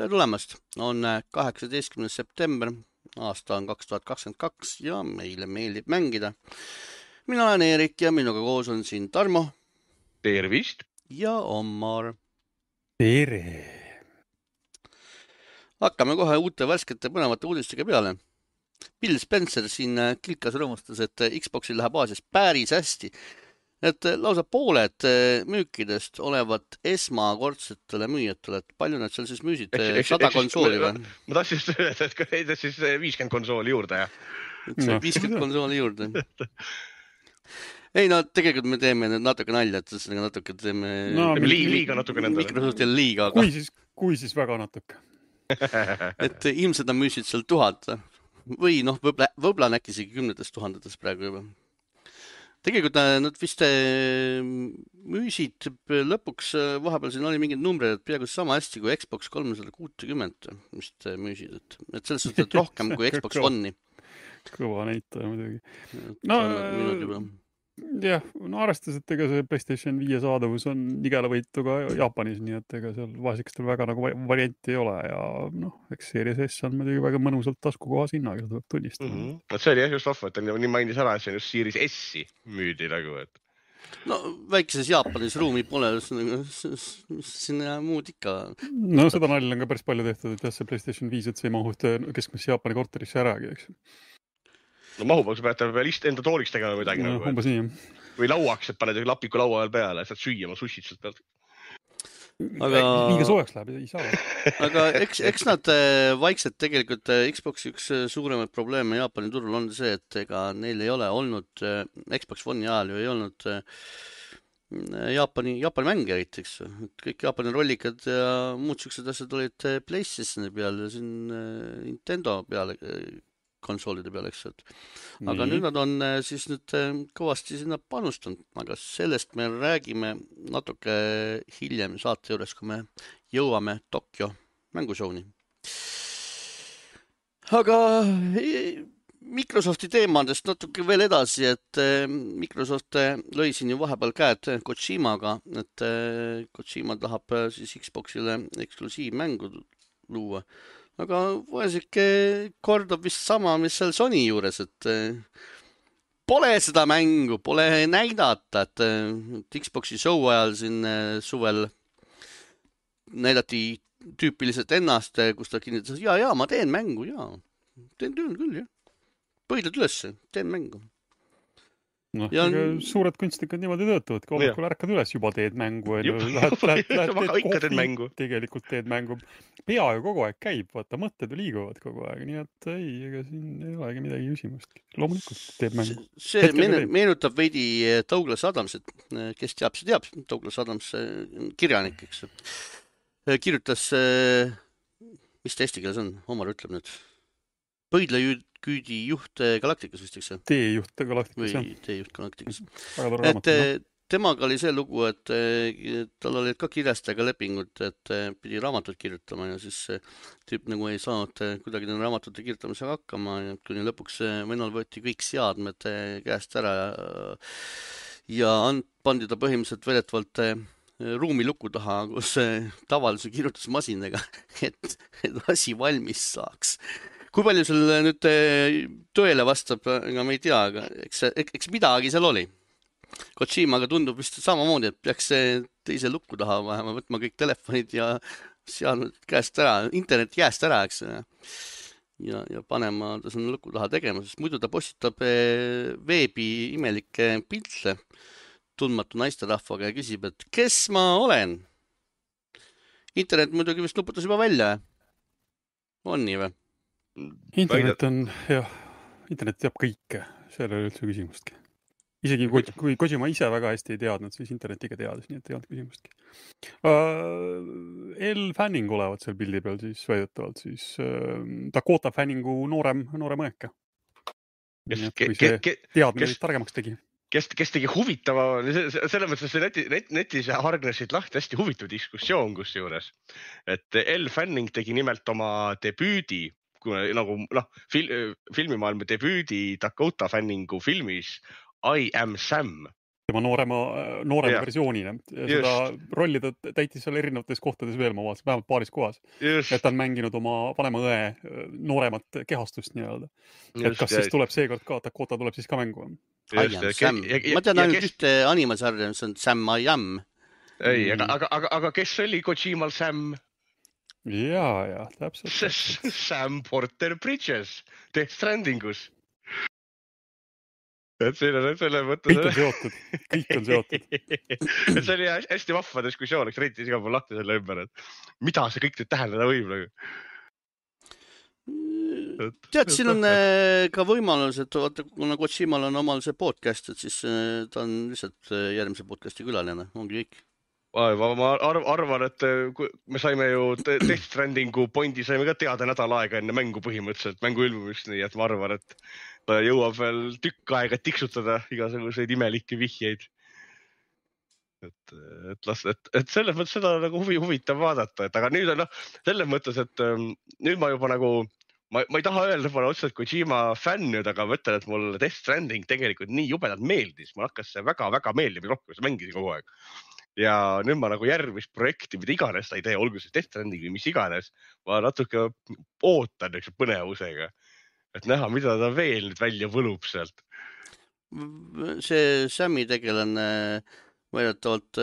Tere tulemast! On 18. september, aasta on 2022 ja meile meeldib mängida. Mina olen Eerik ja minuga koos on siin Tarmo. Tervist! Ja Ommar. Tere! Hakkame kohe uute värskete põnevate uudistega peale. Bill Spencer siin kilkas rõõmustas, et Xboxil läheb Aasias päris hästi. Et lausa pooled müükidest olevat esmakordsetele müüjatele, et palju nad seal siis müüsid? 100 konsooli või? Ma tahtsin just öelda, et neid siis 50 konsooli juurde, jah? 50 konsooli juurde. Ei, no tegelikult me teeme natuke nalja, et natuke teeme... Liiga natuke nendele. Microsoftil liiga. Kui siis väga natuke. Et ilmselt nad müüsid seal 1000 või võib-olla on äkki isegi 10 000 praegu juba. Tegelikult nad vist müüsid lõpuks, vahepeal siin oli mingid numbrid, et peaaegu sama hästi kui Xbox 360 vist müüsid, et selles suhtes rohkem kui Xbox One'i. Kõva näitaja muidugi. Jah, arvestades, et ega see PlayStation 5 saadavus on igelavõitu ka Jaapanis, nii et ega seal vasikestel väga nagu varianti ei ole ja eks Series S on muidugi väga mõnusalt taskukohas hinnaga, seda tuleb tunnistada. See oli jah just vahva, et ta nii mainis ära, et see on just Series S-i müüdi nagu, et... No väikeses Jaapanis ruumi pole, sinna muud ikka. No seda nalja on ka päris palju tehtud, et jah, see PlayStation 5, et see ei mahu keskmisse Jaapani korterisse äragi, eks. No mahub, aga sa pead enda tooliks tegema midagi nagu. Umbes nii. Või lauaks, et paned lapiku laua peale, saad süüa oma sushid sealt pealt. Liiga soojaks läheb, ei saa. Aga eks nad vaikselt tegelikult Xboxi üks suuremaid probleeme Jaapani turul on see, et ega neil ei ole olnud Xbox One'i ajal ju ei olnud Jaapani mänge eriteks. Kõik Jaapani rollikad ja muud siuksed asjad olid PlayStationi peal ja siin Nintendo peale konsoolide peale, eks. Aga nüüd nad on siis nüüd kõvasti sinna panustanud, aga sellest me räägime natuke hiljem saate juures, kui me jõuame Tokyo mängushowni. Aga Microsofti teemadest natuke veel edasi, et Microsoft lõi siin ju vahepeal käed Kojimaga, et Kojima tahab siis Xboxile eksklusiivmängu luua. Aga võesike kordab vist sama, mis seal Sony juures, et pole seda mängu, pole näidata, et Xboxi show ajal siin suvel näidati tüüpiliselt ennast, kus ta kinnitas, ja, ma teen mängu, teen küll, jah. Põidled üles, teen mängu. Suured kunstnikud niimoodi töötavad, kui hommikul ärkad üles, juba teed mängu. Tegelikult teed mängu. Pea ju kogu aeg käib, vaata, mõtted liiguvad kogu aeg, nii et ega siin ei olegi midagi küsimust. Loomulikult teed mängu. See meenutab veidi Douglas Adamsit, kes teab, see teab, Douglas Adams kirjanik, eks. Kirjutas, mis ta eesti keeles on, Omar ütleb nüüd, Põidlaküüdi juht Galaktikas vist, eks? Teejuht Galaktikas, jah. Või teejuht Galaktikas. Et temaga oli see lugu, et tal olid ka kirjastega lepingud, et pidi raamatut kirjutama ja siis tüüp nagu ei saanud kuidagi raamatute kirjutamisega hakkama ja kuni lõpuks vennal võeti kõik seadmed käest ära ja pandi ta põhimõtteliselt vedetvalt ruumi luku taha, kus tavalise kirjutusmasinaga, et asi valmis saaks. Kui palju sul nüüd tõele vastab, ega me ei tea, aga eks midagi seal oli. Kojimaga tundub vist samamoodi, et peaks teise lukku taha vähema võtma kõik telefonid ja seadnud käest ära, internet jääst ära, eks. Ja panema ta sinna lukku taha tegema, sest muidu ta postitab veebi imelikke pilte tundmatu naisterahvaga ja küsib, et kes ma olen? Internet muidugi vist nuputas juba välja. On nii või? Internet on, jah, internet teab kõike, seal ei ole üldse küsimustki. Isegi kui Kojima ise väga hästi ei teadnud, siis internet ikka teadis, nii et ei olnud küsimustki. Elle Fanning olevat seal pildi peal siis väidetavalt, siis Dakota Fanningu noorem õeka. Kui see teadmine targemaks tegi. Kes tegi huvitava, selles mõttes, et netis hargnesid lahti hästi huvitav diskussioon kusjuures. Et Elle Fanning tegi nimelt oma debüüdi, nagu filmimaailma debüüdi Dakota Fanningu filmis I Am Sam, tema noorema versioonina. Ja seda rolli ta täitis seal erinevates kohtades veel, ma vaatasin, vähemalt paaris kohas. Et ta on mänginud oma vanema õe nooremat kehastust nii-öelda. Et kas siis tuleb seekord ka, Dakota tuleb siis ka mängu? I am Sam. Ma tean ainult ühte animasarja, mis on Sam I am. Ei, aga kes oli Kojimal Sam? Ja, täpselt. Sam Porter Bridges, Death Strandingus. Et selle mõttes... Kõik on seotud. Et see oli hästi vahva diskussioon, eks reitis iga pool lahti selle ümber, et mida see kõik tähendada võib nagu. Tead, siin on ka võimalus, et kuna Kojimal on omal see podcast, et siis ta on lihtsalt järgmise podcasti külaline, ongi kõik. Ma arvan, et me saime ju Death Strandingu pointi saime ka teada nädal aega enne mängu põhimõtteliselt, mängu ilmumist, nii et ma arvan, et ta jõuab veel tükk aega tiksutada igasuguseid imelikke vihjeid. Et selles mõttes seda nagu huvitav vaadata, et aga nüüd on selles mõttes, et nüüd ma juba nagu, ma ei taha öelda pole otseselt Kojima fänn nüüd, aga ma ütlen, et mul Death Stranding tegelikult nii jubedalt meeldis, mul hakkas see väga-väga meeldima rohkem, see mängisin kogu aeg. Ja nüüd ma nagu järgmist projekti, mida iganes ta ei tee, olgu see Death Stranding või mis iganes, ma natuke ootan põnevusega. Et näha, mida ta veel nüüd välja võlub sealt. See Sami tegelane väidetavalt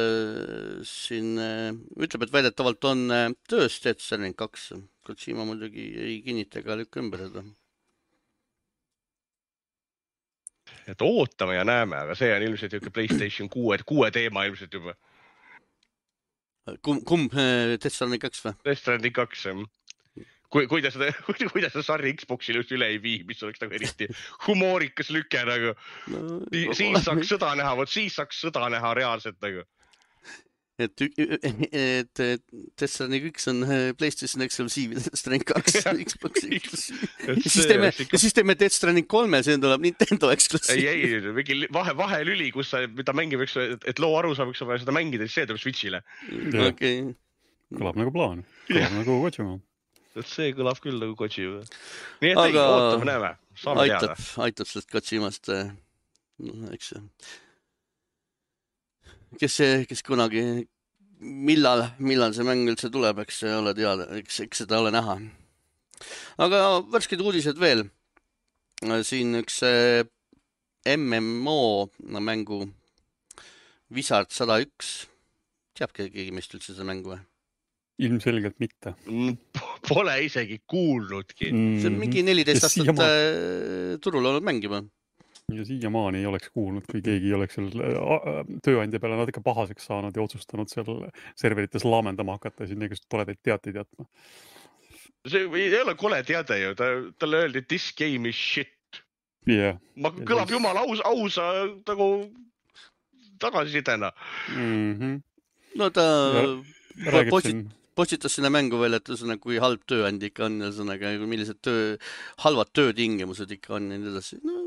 siin ütleb, et väidetavalt on töös Death Stranding 2. Kojima muidugi ei kinnita ega lükka ümber seda. Et ootame ja näeme, aga see on ilmselt PlayStation 6 teema ilmselt juba. Kumb Death Stranding 2 või? Death Stranding 2, jah. Kui ta seda sarri Xboxile just üle ei vii, mis oleks nagu eriti humoorikas lüke nagu. Siis saaks sõda näha reaalselt nagu. Et Death Stranding 1 on PlayStation Exclusive, Death Stranding 2 Xbox Exclusive. Ja siis teeme Death Stranding 3, see tuleb Nintendo Exclusive. Ei, mingi vahelüli, kus mida mängib, et loo aru saab, seda mängida, siis see tuleb Switchile. Okay. Kõlab nagu plaan. Kõlab nagu Kojima. See kõlab küll nagu Kojima. Nii et ootame, näeme. Saame teada. Aitab sellest Kojimast, eks see. Kes kunagi, millal see mäng üldse tuleb, eks see ole teada, eks seda ole näha. Aga värsked uudised veel. Siin üks MMO mängu Wizard 101. Teab keegi meist üldse seda mängu või? Ilmselgelt mitte. Pole isegi kuulnudki. See on mingi 14 aastat turul olnud mäng juba. Ja siiamaani ei oleks kuulnud, kui keegi ei oleks seal tööandja peale natuke pahaseks saanud ja otsustanud seal serverites laamendama hakata ja siin neegust toledaid teateid jätma. See ei ole kole teade ju, talle öeldi, this game is shit. Yeah. Kõlab jumala ausa nagu tagasisidena. No ta postitas sinna mängu veel, et kui halb tööandja ikka on, millised halvad töötingimused ikka on ja nii edasi. No,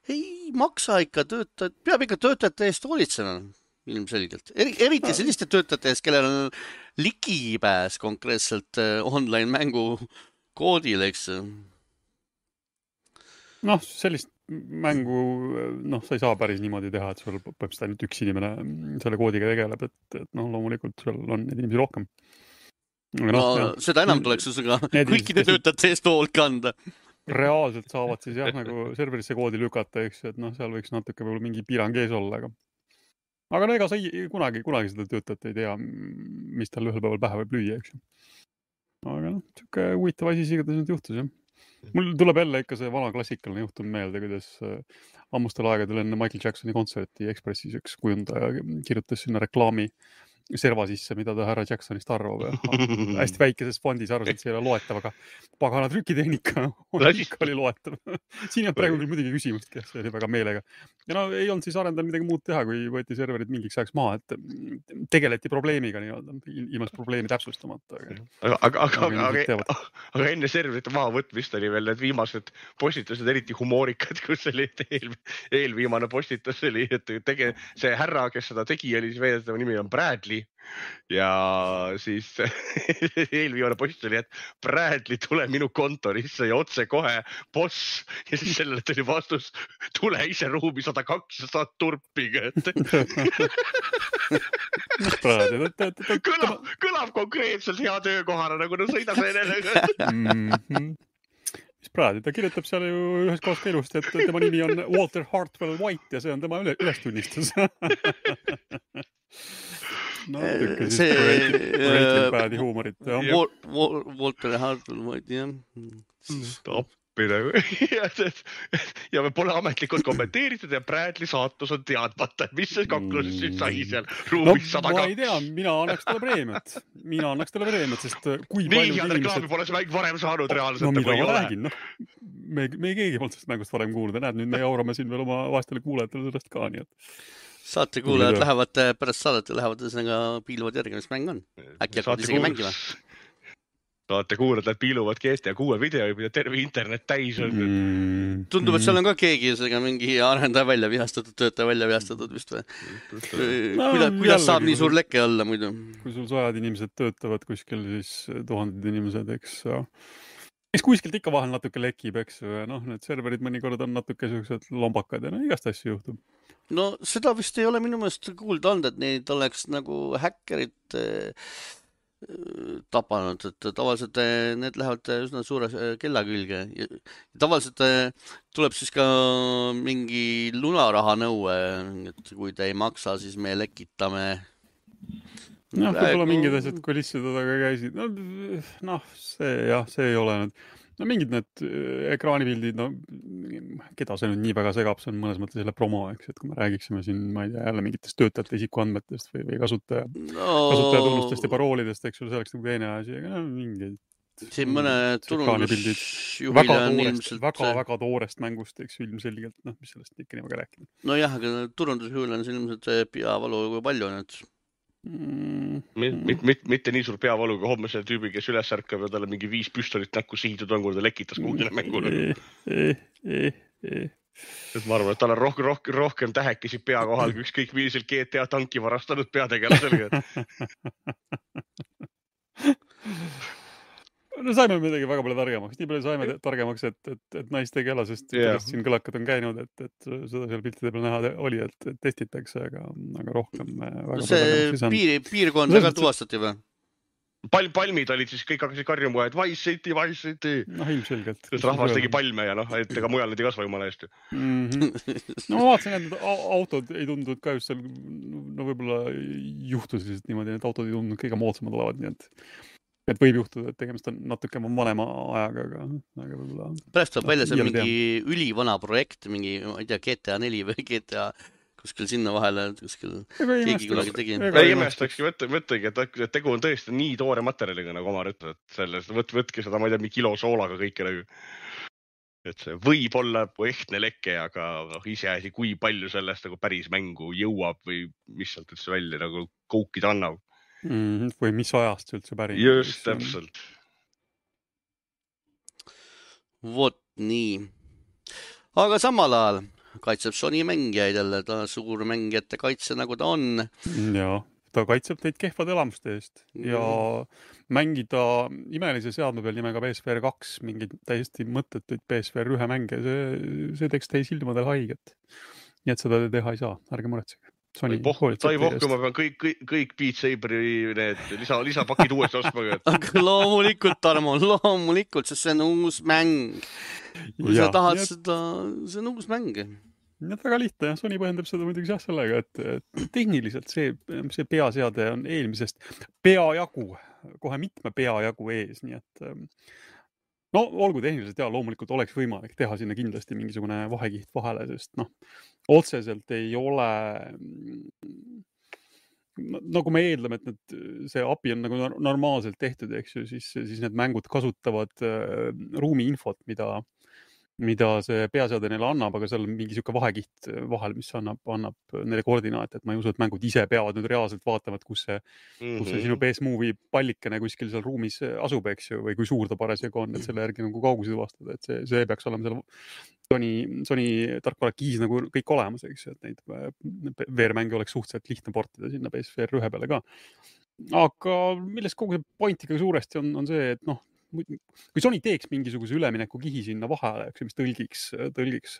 ei maksa ikka peab ikka töötajate eest hoolitsema ilmselgelt. Eriti selliste töötajate eest, kellel on ligipääs konkreetselt online mängu koodile, eks. Noh, sellist mängu, sa ei saa päris niimoodi teha, et sul põhimõtteliselt ainult üks inimene selle koodiga tegeleb, et loomulikult seal on neid inimesi rohkem. Seda enam tuleks kõikide töötajate eest hoolt kanda. Reaalselt saavad siis nagu serverisse koodi lükata, eks, et seal võiks natuke võib-olla mingi piirang ees olla, aga ega sa kunagi seda töötajat ei tea, mis tal ühel päeval pähe võib lüüa, eks. Aga siuke huvitav asi igatahes nüüd juhtus, jah. Mul tuleb jälle ikka see vana klassikaline juhtum meelde, kuidas ammustel aegadel enne Michael Jacksoni kontserti Ekspressis üks kujundaja kirjutas sinna reklaami serva sisse, mida ta härra Jacksonist arvab. Hästi väikeses fondis arvas, et see ei ole loetav, aga pagana trükitehnika oli loetav. Siin on praegu küll muidugi küsimustki, see oli väga meelega. Ja ei olnud siis arendanud midagi muud teha, kui võeti serverid mingiks ajaks maha, et tegeleti probleemiga ilmas probleemi täpsustamata. Aga enne serverite maha võtmist oli veel need viimased postitused eriti humoorikad, kus oli eelviimane postitus oli, et see härra, kes seda tegi, oli siis veedetava nimi on Bradley. Ja siis eelviimane post oli, et Bradley tule minu kontorisse ja otse kohe boss. Ja siis sellele tuli vastus, tule ise ruumi 102 ja saad turpiga, et kõlab konkreetselt hea töökohana, nagu no sõida seenele. Mis praegu, ta kirjutab seal ju ühes kohas ka ilusti, et tema nimi on Walter Hartwell White ja see on tema ülestunnistus. No, see Breaking Badi huumorit. Walter Hartwell White, jah. Appi nagu. Ja me pole ametlikult kommenteeritud ja Bradley saatus on teadmata, mis see kakluses nüüd sai seal ruumis 102. Ma ei tea, mina annaks talle preemiat, sest kui palju inimesed... Nii reklaami pole see mäng varem saanud reaalselt. No mida ma räägin, me keegi polnud sellest mängust varem kuulda. Näed, nüüd me jaurame siin veel oma vastele kuulajatele sellest ka, nii et... Saate kuulajad lähevad pärast saadet ja lähevad ühesõnaga piiluvad järgi, mis mäng on. Äkki hakkavad isegi mängima. Saate kuulajad, et piiluvad GTA 6 video, mida terve internet täis on. Tundub, et seal on ka keegi mingi arendaja välja vihastatud, töötaja välja vihastatud vist või? Kuidas saab nii suur leke olla muidu? Kui sul sajad inimesed töötavad kuskil, siis tuhanded inimesed, eks kuskilt ikka vahel natuke lekib, eks need serverid mõnikord on natuke sellised lombakad ja igast asju juhtub. No seda vist ei ole minu meelest kuulda olnud, et neid oleks nagu häkkerid tapanud, et tavaliselt need lähevad üsna suure kella külge. Tavaliselt tuleb siis ka mingi lunaraha nõue, et kui te ei maksa, siis me lekitame. Võib-olla mingid asjad kulisside taga käisid. See ei ole nüüd. Mingid need ekraanipildid, keda see nüüd nii väga segab, see on mõnes mõttes selle promo, eks, et kui me räägiksime siin, ma ei tea, jälle mingitest töötajate isikuandmetest või kasutajatunnustest ja paroolidest, eks, see oleks nagu teine asi, aga mingid siin mõne turundusjuhile on ilmselt... Väga toorest mängust, eks, ilmselgelt, mis sellest ikka nii väga rääkida. No jah, aga turundusjuhile on siin ilmselt peavalu kui palju nüüd. Mitte nii suur peavaluga homme selle tüübi, kes üles ärkab ja talle mingi 5 püstolit näkku sihitud on, kui ta lekitas kuhugile mängule. Ma arvan, et tal on rohkem tähekesi pea kohal, kui ükskõik millisel GTA tanki varastanud peategelasele. No saime midagi väga palju targemaks. Nii palju saime targemaks, et naistegelasest siin kõlakad on käinud, et seda seal piltide peal näha oli, et testitakse, aga rohkem see piirkond väga tuvastati või? Palmid olid siis, kõik hakkasid karjuma, et Vice City. Ilmselgelt. Sest rahvas tegi palme ja et ega mujal need ei kasva jumala eest. No ma vaatasin, et autod ei tundunud ka just seal, võib-olla juhtusid niimoodi, et autod ei tundunud kõige moodsamad olevat, nii et võib juhtuda, et tegemist on natuke vanema ajaga, aga võib-olla... Pärast tuleb välja see mingi ülivana projekt, mingi, ma ei tea, GTA 4 või GTA kuskil sinna vahele, kuskil keegi kunagi tegi. Ei imestakski, mõtlegi, et tegu on tõesti nii toore materjaliga nagu oma rütta, et sellest võtke seda, ma ei tea, mingi kilo soolaga kõike nagu. Et see võib olla ehtne leke, aga iseasi, kui palju sellest nagu päris mängu jõuab või mis sealt üldse välja nagu koukida annab. Või mis ajast üldse päris. Just, täpselt. Vot nii. Aga samal ajal kaitseb Sony mängijaid jälle, ta suur mängijate kaitse nagu ta on. Ja, ta kaitseb teid kehvade elamuste eest ja mängida imelise seadme peal nimega PSVR 2 mingid täiesti mõttetuid PSVR 1 mänge, see teeks teie silmadel haiget. Nii et seda te teha ei saa, ärge muretsege. Sai pohku, ma pean kõik Beat Saberi need lisapakid uuesti ostma. Aga loomulikult, Tarmo, loomulikult, sest see on uus mäng. Kui sa tahad seda, see on uus mäng. Väga lihtne, Sony põhjendab seda muidugi sellega, et tehniliselt see peaseade on eelmisest peajagu, kohe mitme peajagu ees, nii et olgu tehniliselt loomulikult oleks võimalik teha sinna kindlasti mingisugune vahekiht vahele, sest otseselt ei ole, nagu me eeldame, et see API on nagu normaalselt tehtud, eks ju, siis need mängud kasutavad ruumiinfot, mida see peaseade neile annab, aga seal on mingi siuke vahekiht vahel, mis annab neile koordinaate, et ma ei usu, et mängud ise peavad nüüd reaalselt vaatama, et kus see sinu PS-Movie pallikene kuskil seal ruumis asub, eks ju, või kui suur ta parasjagu on, et selle järgi nagu kaugusi tuvastada, et see peaks olema seal Sony tarkvara kiis nagu kõik olemas, eks ju, et neid VR-mänge oleks suhteliselt lihtne portida sinna PSVR 1 peale ka. Aga millest kogu see point ikkagi suuresti on see, et kui Sony teeks mingisuguse ülemineku kihi sinna vahele, mis tõlgiks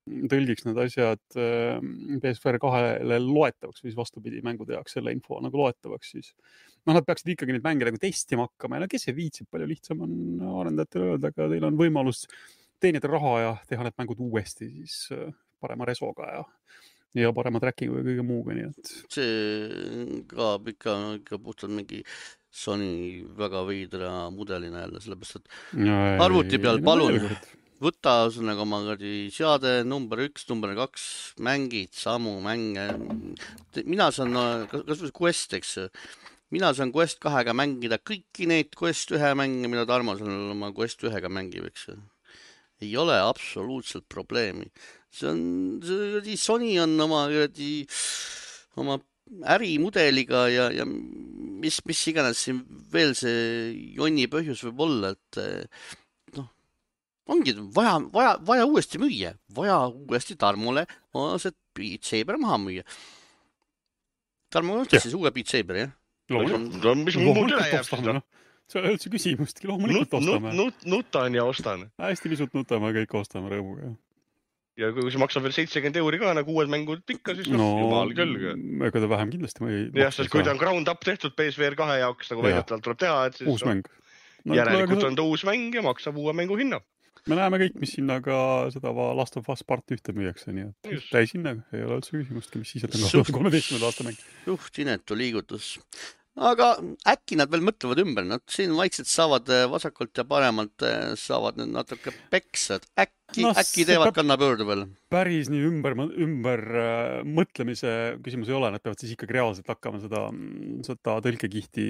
tõlgiks need asjad PSVR 2-le loetavaks või siis vastupidi mängude jaoks selle info nagu loetavaks, siis nad peaksid ikkagi neid mänge nagu testima hakkama ja kes see viitsib, palju lihtsam on arendajatele öelda, aga teil on võimalus teenida raha ja teha need mängud uuesti siis parema resoga ja parema trackingu ja kõige muuga, nii et see kaab ikka puhtalt mingi Sony väga veidra mudelina jälle, sellepärast et arvuti peal palun võta ühesõnaga oma seade number 1, number 2, mängid samu mänge. Mina saan, kas Quest, eks, mina saan Quest 2-ga mängida kõiki neid Quest 1 mänge, mida Tarmo saan oma Quest 1-ga mängib, eks. Ei ole absoluutselt probleemi. Sony on oma ärimudeliga ja mis iganes siin veel see jonni põhjus võib olla, et ongi vaja uuesti müüa, vaja uuesti Tarmole see Beat Saber maha müüa. Tarmo ostas siis uue Beat Saber, jah? Loomulikult ostame, see ei ole üldse küsimustki, loomulikult ostame. Nutan ja ostan. Hästi pisut nutame, kõik ostame rõõmuga. Ja kui see maksab veel 70 € ka nagu uued mängud pikka, siis jumal küll. Ega ta vähem kindlasti ei maksa. Jah, sest kui ta on ground up tehtud PSVR 2 jaoks, nagu väidetavalt tuleb teha, et siis uus mäng. Järelikult on ta uus mäng ja maksab uue mängu hinna. Me näeme kõik, mis sinna ka seda Last of Us Part 1 müüakse, nii et täis hinna ei ole üldse küsimustki, mis siis, et on 13. aasta mäng. Inetu liigutus. Aga äkki nad veel mõtlevad ümber, nad siin vaikselt saavad vasakult ja paremalt saavad need natuke peksad. Äkki teevad kannapöördu veel? Päris nii ümber mõtlemise küsimus ei ole, nad peavad siis ikkagi reaalselt hakkama seda tõlkekihti,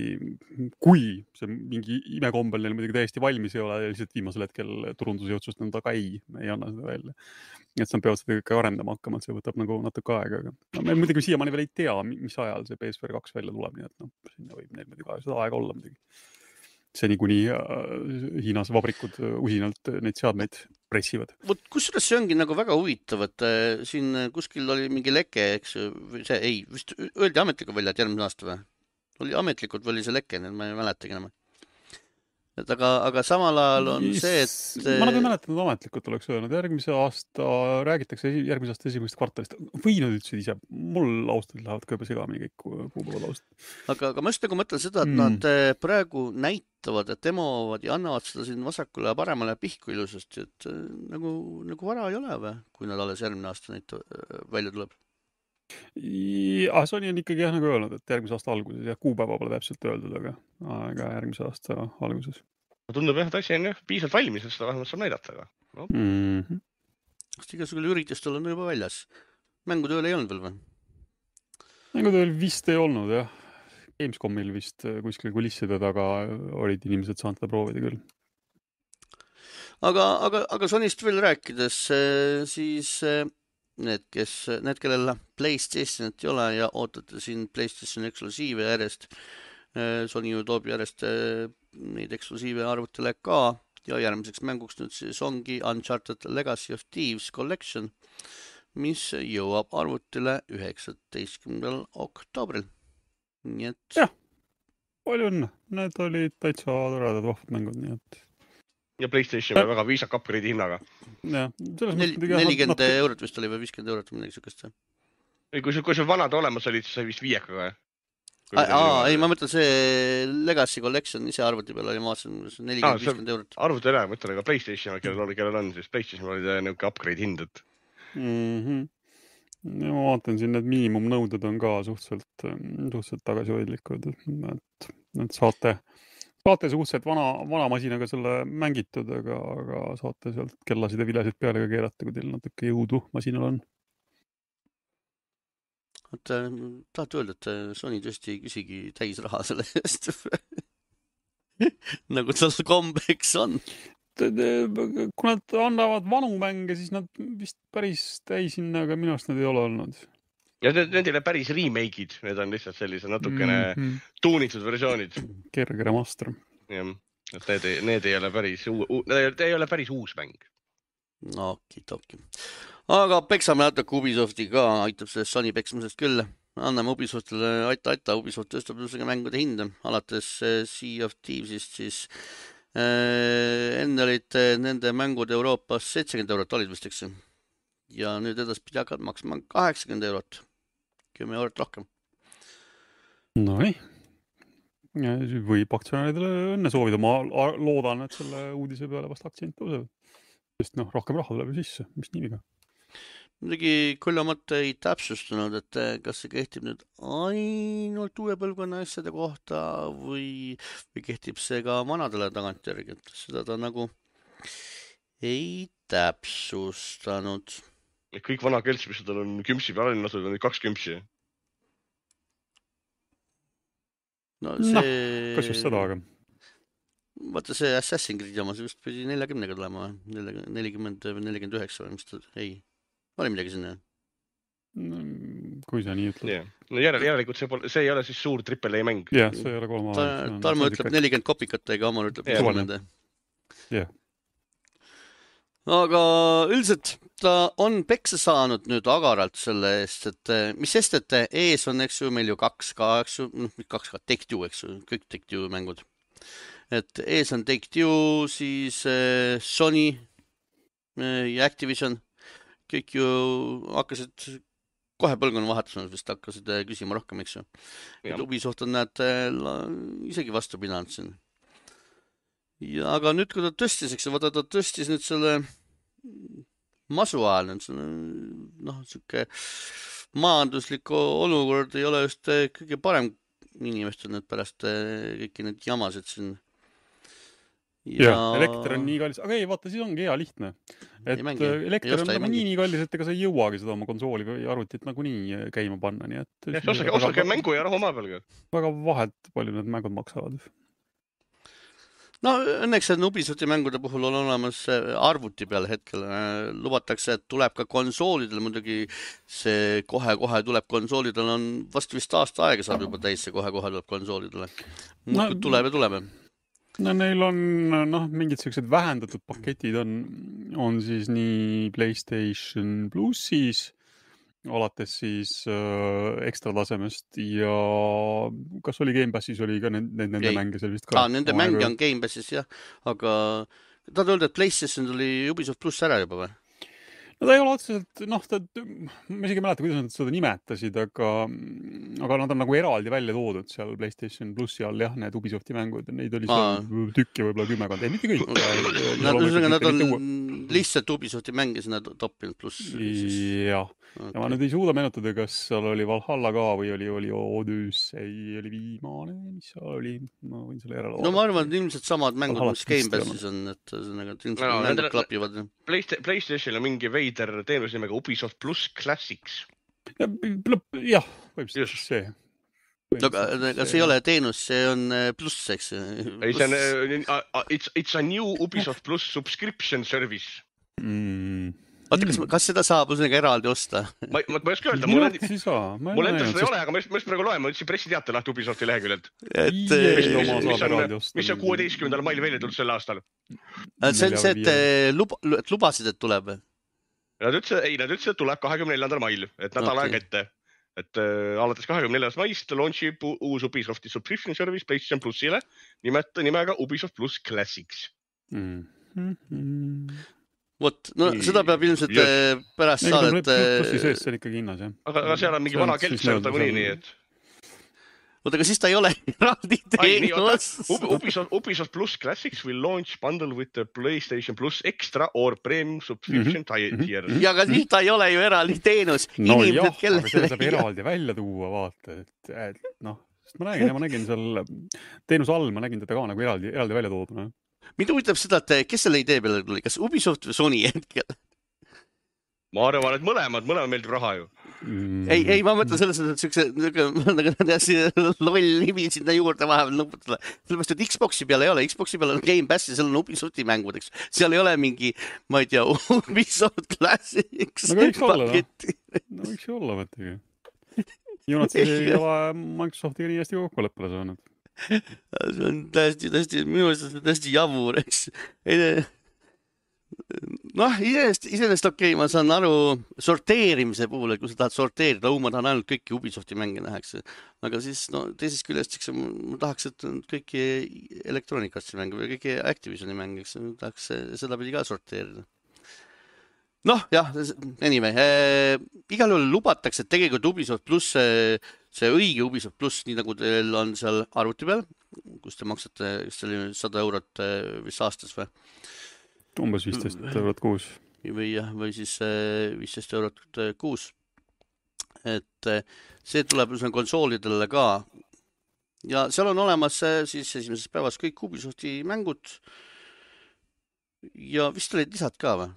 kui see mingi imekombel neil muidugi täiesti valmis ei ole ja lihtsalt viimasel hetkel turunduse otsustanud, aga ei anna seda välja. Et nad peavad seda ikka arendama hakkama, et see võtab nagu natuke aega. Aga me muidugi siiamaani veel ei tea, mis ajal see PSVR 2 välja tuleb, nii et sinna võib neil muidugi seda aega olla muidugi. See niikuni Hiinas vabrikud usinalt neid seadmeid pressivad. Kusjuures see ongi nagu väga huvitav, et siin kuskil oli mingi leke, eks vist öeldi ametlikult välja, et järgmine aasta või? Oli ametlikult või oli see leke, ma ei mäletagi enam. Et aga samal ajal on see, et ma nagu ei mäletanud ametlikult oleks öelnud, järgmise aasta räägitakse järgmise aasta esimesest kvartalist. Või nad ütlesid ise, mul austud lähevad ka juba segamini kõik kuupäevad austud. Aga ma just nagu mõtlen seda, et nad praegu näitavad, et demovad ja annavad seda siin vasakule ja paremale pihku ilusasti, et nagu vara ei ole või, kui nad alles järgmine aasta neid välja tuleb. Sony on ikkagi nagu öelnud, et järgmise aasta alguses ja kuupäeva pole täpselt öeldud, aga järgmise aasta alguses. Tundub jah, et asi on piisavalt valmis, et seda vähemalt saab näidata. Sest igasugune üritustel on juba väljas. Mängutööl ei olnud veel või? Mängutööl vist ei olnud, jah. Gamescomil vist kuskil kulisside taga olid inimesed saanud seda proovida küll. Aga Sonyst veel rääkides, siis need, kellel PlayStationit ei ole ja ootate siin PlayStation eksklusiive järjest, Sony ju toob järjest neid eksklusiive arvutile ka ja järgmiseks mänguks nüüd siis ongi Uncharted Legacy of Thieves Collection, mis jõuab arvutile 19. oktoobril. Nii et... Jah, palju õnne. Need olid täitsa toredad vahvad mängud, nii et... Ja PlayStation on väga viisak upgrade'i hinnaga. Ja, 40 eurot vist oli või 50 eurot või midagi sükest. Kui sul vanad olemas olid, siis sai vist 5 ka. Ei, ma mõtlen see Legacy Collection ise arvuti peal oli maas 40-50 eurot. Arvuti ära, mõtlen, aga PlayStation, kellel on, siis PlayStation oli niisugune upgrade hindad. Ja ma vaatan siin, need miinimumnõuded on ka suhteliselt tagasihoidlikud, et saate suhteliselt vana masinaga selle mängitud, aga saate sealt kellasid ja vilesid peale ka keerata, kui teil natuke jõudu masinal on. Tahad öelda, et Sony tõesti ei küsigi täis raha selle eest? Nagu tal kombeks on. Kui nad annavad vanu mänge, siis nad vist päris täishinnaga minu arust nad ei ole olnud. Ja need ei ole päris remake'id, need on lihtsalt sellise natukene tuunitud versioonid. Kerge remaster. Jah, need ei ole päris uus mäng. Oki. Aga peksame natuke Ubisofti ka, aitab sellest Sony peksmisest küll. Anname Ubisoftile aita, Ubisoft tõstab mängude hinda. Alates Sea of Thievesist siis enne olid nende mängud Euroopas 70 eurot olid vist, eks. ja nüüd edaspidi hakkad maksma 80 €, 10 € rohkem. Nonii. Võib aktsionäridele õnne soovida. Ma loodan, et selle uudise peale vast aktsiaid tõuseb. Sest rohkem raha tuleb ju sisse, mis nii viga. Muidugi Koljamat ei täpsustanud, et kas see kehtib nüüd ainult uue põlvkonna asjade kohta või kehtib see ka vanadele tagantjärgi, et seda ta nagu ei täpsustanud. Kõik vana kelts, mis tal on kümpsi peal on, on 2 kümpsi. No see... kas just seda, aga... Vaata see Assassin's Creed jama, see just pidi 40-ga tulema, 40 või 49 või mis ta... Ei, oli midagi sinna. Kui sa nii ütled. Yeah. No järelikult see ei ole siis suur AAA mäng. Jah, see ei ole 3 aastat. Tarmo ütleb 40 kopikatega, Amar ütleb 30. Jah. Aga üldiselt ta on peksa saanud nüüd agaralt selle eest, et mis sest, et ees on, eks ju, meil ju 2 Take-Two, eks ju, kõik Take-Two mängud. Et ees on Take-Two, siis Sony ja Activision, kõik ju hakkasid kohe põlvkonna vahetusena vist hakkasid küsima rohkem, eks ju. Et Ubisoft on näed isegi vastu pidanud siin. Ja aga nüüd, kui ta tõstis, eks ju, vaata ta tõstis nüüd selle masu ajal, siuke majanduslik olukord ei ole just kõige parem inimestel nüüd pärast kõiki need jamasid siin. Ja elekter on nii kallis, aga ei, vaata, siis ongi hea lihtne. Et elekter on nii kallis, et ega sa ei jõuagi seda oma konsooli või arvutit nagu nii käima panna. Nii et osake mängu ja rahu maa peal. Väga vahet palju need mängud maksavad. No õnneks on Ubisofti mängude puhul on olemas arvuti peal hetkel. Lubatakse, et tuleb ka konsoolidel, muidugi see kohe tuleb konsoolidel on vast vist aasta aega saab juba täis, see kohe tuleb konsoolidele. Tuleb. No neil on mingid sellised vähendatud paketid on siis nii PlayStation Plussis alates siis ekstra tasemest ja kas oli Game Passis oli ka nende mänge seal vist ka? Nende mänge on Game Passis jah, aga tahad öelda, et PlayStation tuli Ubisoft Plus ära juba või? No ta ei ole otseselt, ma isegi mäleta, kuidas nad seda nimetasid, aga nad on nagu eraldi välja toodud seal PlayStation Plussi all, jah, need Ubisofti mängud, neid oli seal tükki võib-olla 10, ei mitte kõik. Nad on lihtsalt Ubisofti mänge sinna toppinud pluss. Jah, ja ma nüüd ei suuda meenutada, kas seal oli Valhalla ka või oli Odyssey, oli viimane, mis seal oli, ma võin selle järele vaadata. No ma arvan, et ilmselt samad mängud, mis Game Passis on, et ilmselt mängud klapivad. PlayStation on mingi veider teenus nimega Ubisoft Plus Classics. Jah, võib see. Aga see ei ole teenus, see on pluss, eks. It's a new Ubisoft Plus subscription service. Vaata, kas seda saab usnega eraldi osta? Ma ei oska öelda, mul endal seda ei ole, aga ma just praegu loen, ma ütlesin pressiteate lahti Ubisofti leheküljelt. Mis on 16. mail välja tulnud sel aastal? See on see, et lubasid, et tuleb. Nad ütlesid, et tuleb 24. mail, et nädal aega ette. Et alates 24. maist launchib uus Ubisofti subscription service PlayStation Plusile nimega Ubisoft Plus Classics. Vot, seda peab ilmselt pärast saadet... Plussi sees see on ikkagi hinnas, jah. Aga seal on mingi vana kelts seal nii, et... Oota, aga siis ta ei ole eraldi teenus. Ubisoft Plus Classics will launch bundle with the PlayStation Plus Extra or Premium subscription tier. Ja aga siis ta ei ole ju eraldi teenus. No jah, aga seda saab eraldi välja tuua, vaata. Sest ma nägin seal teenuse all, ma nägin teda ka nagu eraldi välja tooduna. Mind huvitab seda, et kes selle idee peale tuli? Kas Ubisoft või Sony hetkel? Ma arvan, et mõlemad meeldib raha ju. Ei, ma mõtlen selles, et siukse loll nimi sinna juurde vahepeal nuputada. Sellepärast, et Xboxi peal ei ole. Xboxi peal on Game Pass ja seal on Ubisofti mängud, eks. Seal ei ole mingi, ma ei tea, Ubisoft Classics. No võiks olla, mõttegi. Ju nad siis ei ole Microsoftiga nii hästi kokkuleppele saanud. See on täiesti, minu mõttes täiesti jabur, eks. Iseenesest okei, ma saan aru sorteerimise puhul, et kui sa tahad sorteerida, ma tahan ainult kõiki Ubisofti mänge nähakse. Aga siis, teisest küljest, ma tahaks, et kõiki elektroonikassi mänge või kõiki Activisioni mänge, tahaks seda pidi ka sorteerida. Noh, jah, anyway, igal juhul lubatakse, et tegelikult Ubisoft pluss, see õige Ubisoft pluss, nii nagu teil on seal arvuti peal, kus te maksate, see oli 100 eurot vist aastas või? Umbes 15 eurot kuus. Või siis 15 eurot kuus. Et see tuleb konsoolidele ka. Ja seal on olemas siis esimesest päevast kõik Ubisofti mängud. Ja vist olid lisad ka või?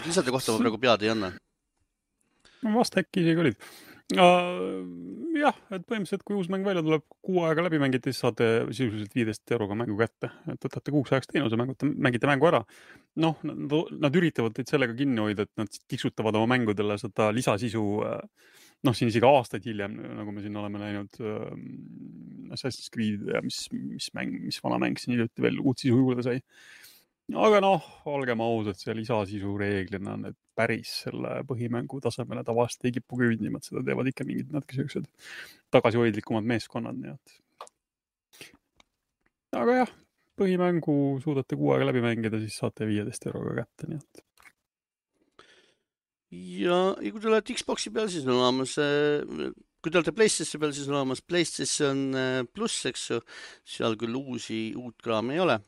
Lisade kohta ma praegu pead ei anna. Vast äkki isegi olid. Jah, et põhimõtteliselt kui uus mäng välja tuleb, 6 aega läbi mängite, siis saate sisuliselt 15 euroga mängu kätte. Et võtate 6 ajaks teenuse, mängite mängu ära. Noh, nad üritavad teid sellega kinni hoida, et nad tiksutavad oma mängudele seda lisasisu, noh, siin isegi aastaid hiljem, nagu me siin oleme näinud Assassin's Creed ja mis vana mäng siin hiljuti veel uut sisu juurde sai. Aga noh, olgem ausad, see lisasisu reeglina on päris selle põhimängu tasemele tavaliselt ei kipu küüdnimad, seda teevad ikka mingid natuke sellised tagasihoidlikumad meeskonnad, nii et. Aga jah, põhimängu suudate 6 aega läbi mängida, siis saate 15 euroga kätte, nii et. Ja kui te olete Xboxi peal, siis on olemas, kui te olete PlayStation peal, siis on olemas PlayStation Plus, eks ju, seal küll uut kraami ei ole.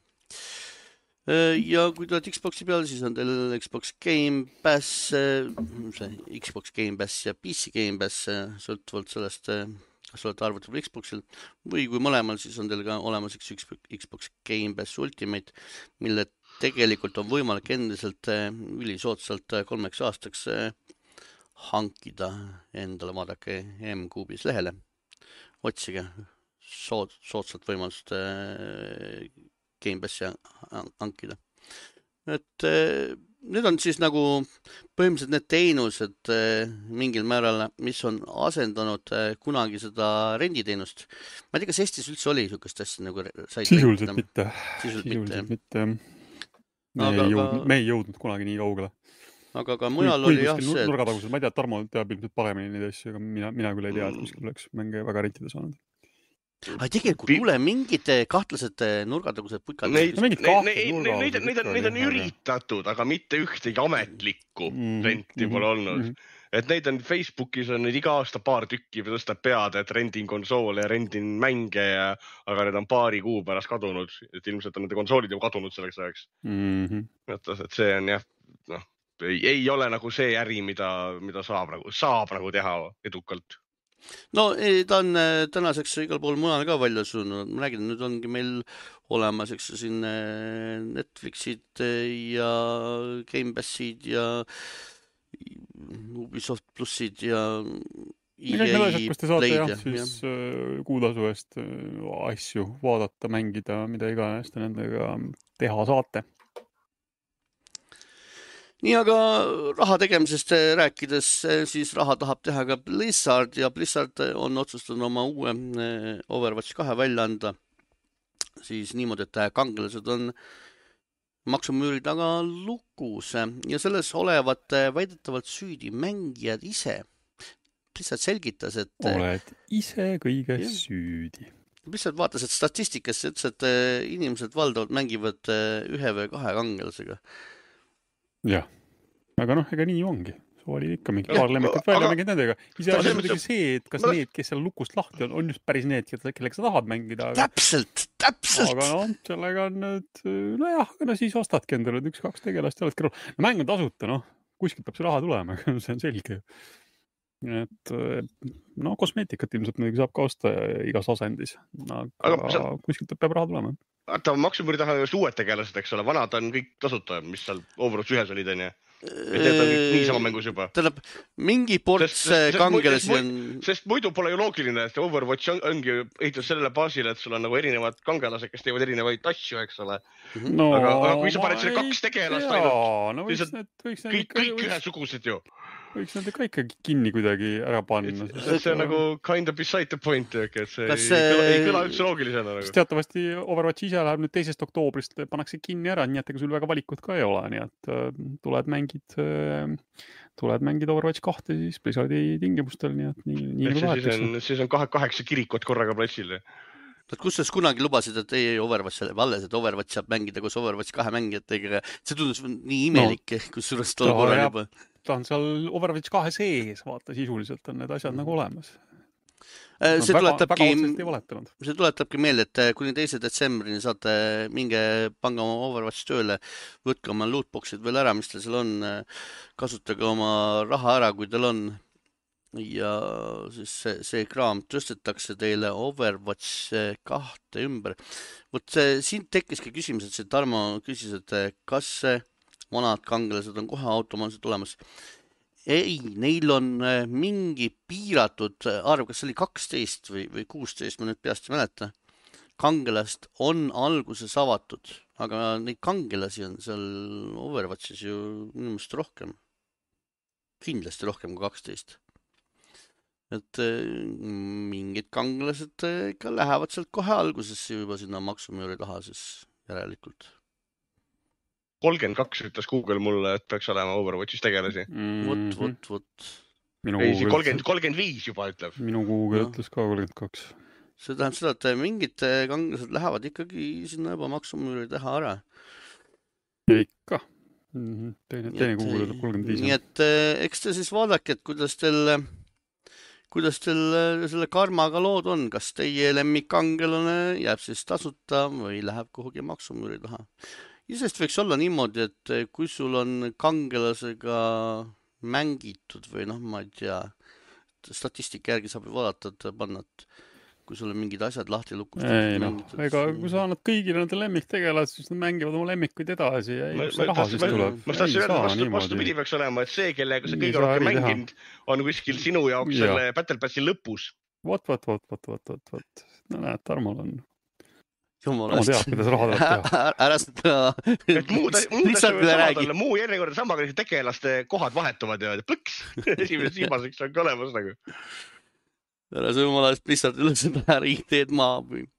Ja kui te olete Xboxi peal, siis on teil Xbox Game Pass, Xbox Game Pass ja PC Game Pass, sõltuvalt sellest, kas olete arvuti või Xboxil, või kui mõlemal, siis on teil ka olemas Xbox Game Pass Ultimate, mille tegelikult on võimalik endiselt ülisoodsalt 3 aastaks hankida endale, vaadake M-Kuubis lehele, otsige soodsalt võimalust Game Passi hankida. Et need on siis nagu põhimõtteliselt need teenused mingil määral, mis on asendanud kunagi seda renditeenust. Ma ei tea, kas Eestis üldse oli niisugust asja nagu sisuliselt mitte. Me ei jõudnud kunagi nii kaugele. Aga ka mujal oli jah see. Nurgatagused, ma ei tea, Tarmo teab ilmselt paremini neid asju, aga mina küll ei tea, et kuskil oleks mänge väga rentida saanud. Aga tegelikult tule mingid kahtlased nurgatagused putkad. Neid on üritatud, aga mitte ühtegi ametlikku renti pole olnud. Et neid on Facebookis on neid iga aasta paar tükki tõstab pead, et rendin konsoole ja rendin mänge, aga need on paari kuu pärast kadunud. Et ilmselt on nende konsoolid juba kadunud selleks ajaks. Et see on jah, noh, ei ole nagu see äri, mida saab nagu teha edukalt. No ta on tänaseks igal pool mujal ka välja suunud. Ma räägin, nüüd ongi meil olemas siin Netflixid ja Game Passid ja Ubisoft plussid ja EA Play'd. Kus te saate jah, siis kuutasu eest asju vaadata, mängida, mida iganes te nendega teha saate. Nii, aga raha tegemisest rääkides, siis raha tahab teha ka Blizzard ja Blizzard on otsustanud oma uue Overwatch 2 välja anda. Siis niimoodi, et kangelased on maksumüüri taga lukus ja selles olevat väidetavalt süüdi mängijad ise. Blizzard selgitas, et... Oled ise kõiges süüdi. Blizzard vaatas, et statistikasse ütles, et inimesed valdavalt mängivad 1 või 2 kangelasega. Jah, aga noh, ega nii ongi. See oli ikka mingi paar lemmikat välja mängid nendega. Ise on muidugi see, et kas need, kes seal lukust lahti on just päris need, kellega sa tahad mängida. Aga... Täpselt! Aga noh, sellega on nüüd, nojah, aga siis ostadki endale 1-2 tegelast ja oledki roll. No mäng on tasuta, noh, kuskilt peab see raha tulema, see on selge. Et no kosmeetikat ilmselt muidugi saab ka osta igas asendis, aga kuskilt peab raha tulema. Vaata, maksumüüri taha just uued tegelased, eks ole, vanad on kõik tasuta, mis seal Overwatch 1 olid, on ju. Et need on niisama mängus juba. Tähendab, mingi ports kangelasi on... Sest muidu pole ju loogiline, et Overwatch ongi ehitus sellele baasile, et sul on nagu erinevad kangelased, kes teevad erinevaid asju, eks ole. No, aga kui sa paned selle 2 tegelast ainult, siis kõik ühesugused ju. Võiks nende ka ikkagi kinni kuidagi ära panna. See on nagu kind of beside the point, et see ei kõla üldse loogilisena. Sest teatavasti Overwatch ise läheb nüüd 2. oktoobrist, pannakse kinni ära, nii et ega sul väga valikut ka ei ole, nii et tuled mängid Overwatch 2 siis Blizzardi tingimustel, nii et nii nagu tahetakse. Siis on 8 kirikut korraga platsil. Kusjuures kunagi lubasid, et ei Overwatch jääb alles, et Overwatch saab mängida koos Overwatch 2 mängijatega. See tundus nii imelik, kusjuures tol korral juba. Ta on seal Overwatch 2 sees, vaata, sisuliselt on need asjad nagu olemas. See tuletabki meelde, et kuni 2. detsembrini saate minge pange oma Overwatch tööle, võtke oma lootboxid veel ära, mis teil seal on, kasutage oma raha ära, kui teil on. Ja siis see kraam tõstetakse teile Overwatch 2 ümber. Võt siin tekkiski küsimus, et see Tarmo küsis, et kas vanad kangelased on kohe automaatselt olemas. Ei, neil on mingi piiratud arv, kas oli 12 või 16, ma nüüd peast ei mäleta. Kangelast on alguses avatud, aga neid kangelasi on seal Overwatchis ju inimest rohkem. Kindlasti rohkem kui 12. Et mingid kangelased ikka lähevad sealt kohe algusesse juba sinna maksumüüri taha siis järelikult. 32 ütles Google mulle, et peaks olema Overwatchis tegelasi. Vot. Ei, 35 juba ütleb. Minu Google ütles ka 32. See tähendab seda, et mingid kangelased lähevad ikkagi sinna juba maksumüüri teha ära. Ikka. Teine Google ütleb 35. Nii et eks te siis vaadake, et kuidas teil selle karmaga lood on, kas teie lemmikkangelane jääb siis tasuta või läheb kuhugi maksumüüri taha. Isest võiks olla niimoodi, et kui sul on kangelasega mängitud või noh, ma ei tea, statistika järgi saab vaadata, et panna, et kui sul on mingid asjad lahti lukustatud. Ega kui sa annad kõigile nende lemmiktegelad, siis nad mängivad oma lemmikuid edasi ja see raha siis tuleb. Ma tahtsin öelda, vastupidi peaks olema, et see, kellega sa kõige rohkem mänginud, on kuskil sinu jaoks selle Battle Passi lõpus. Vot. No näed, Tarmol on. Jumala ma tead, kuidas raha tuleb teha. Ära seda muu järjekorda samaga tegelaste kohad vahetuvad ja plõks. Esimeseks viimaseks on ka olemas nagu. Ära see jumala eest lihtsalt üle seda ideed maha või.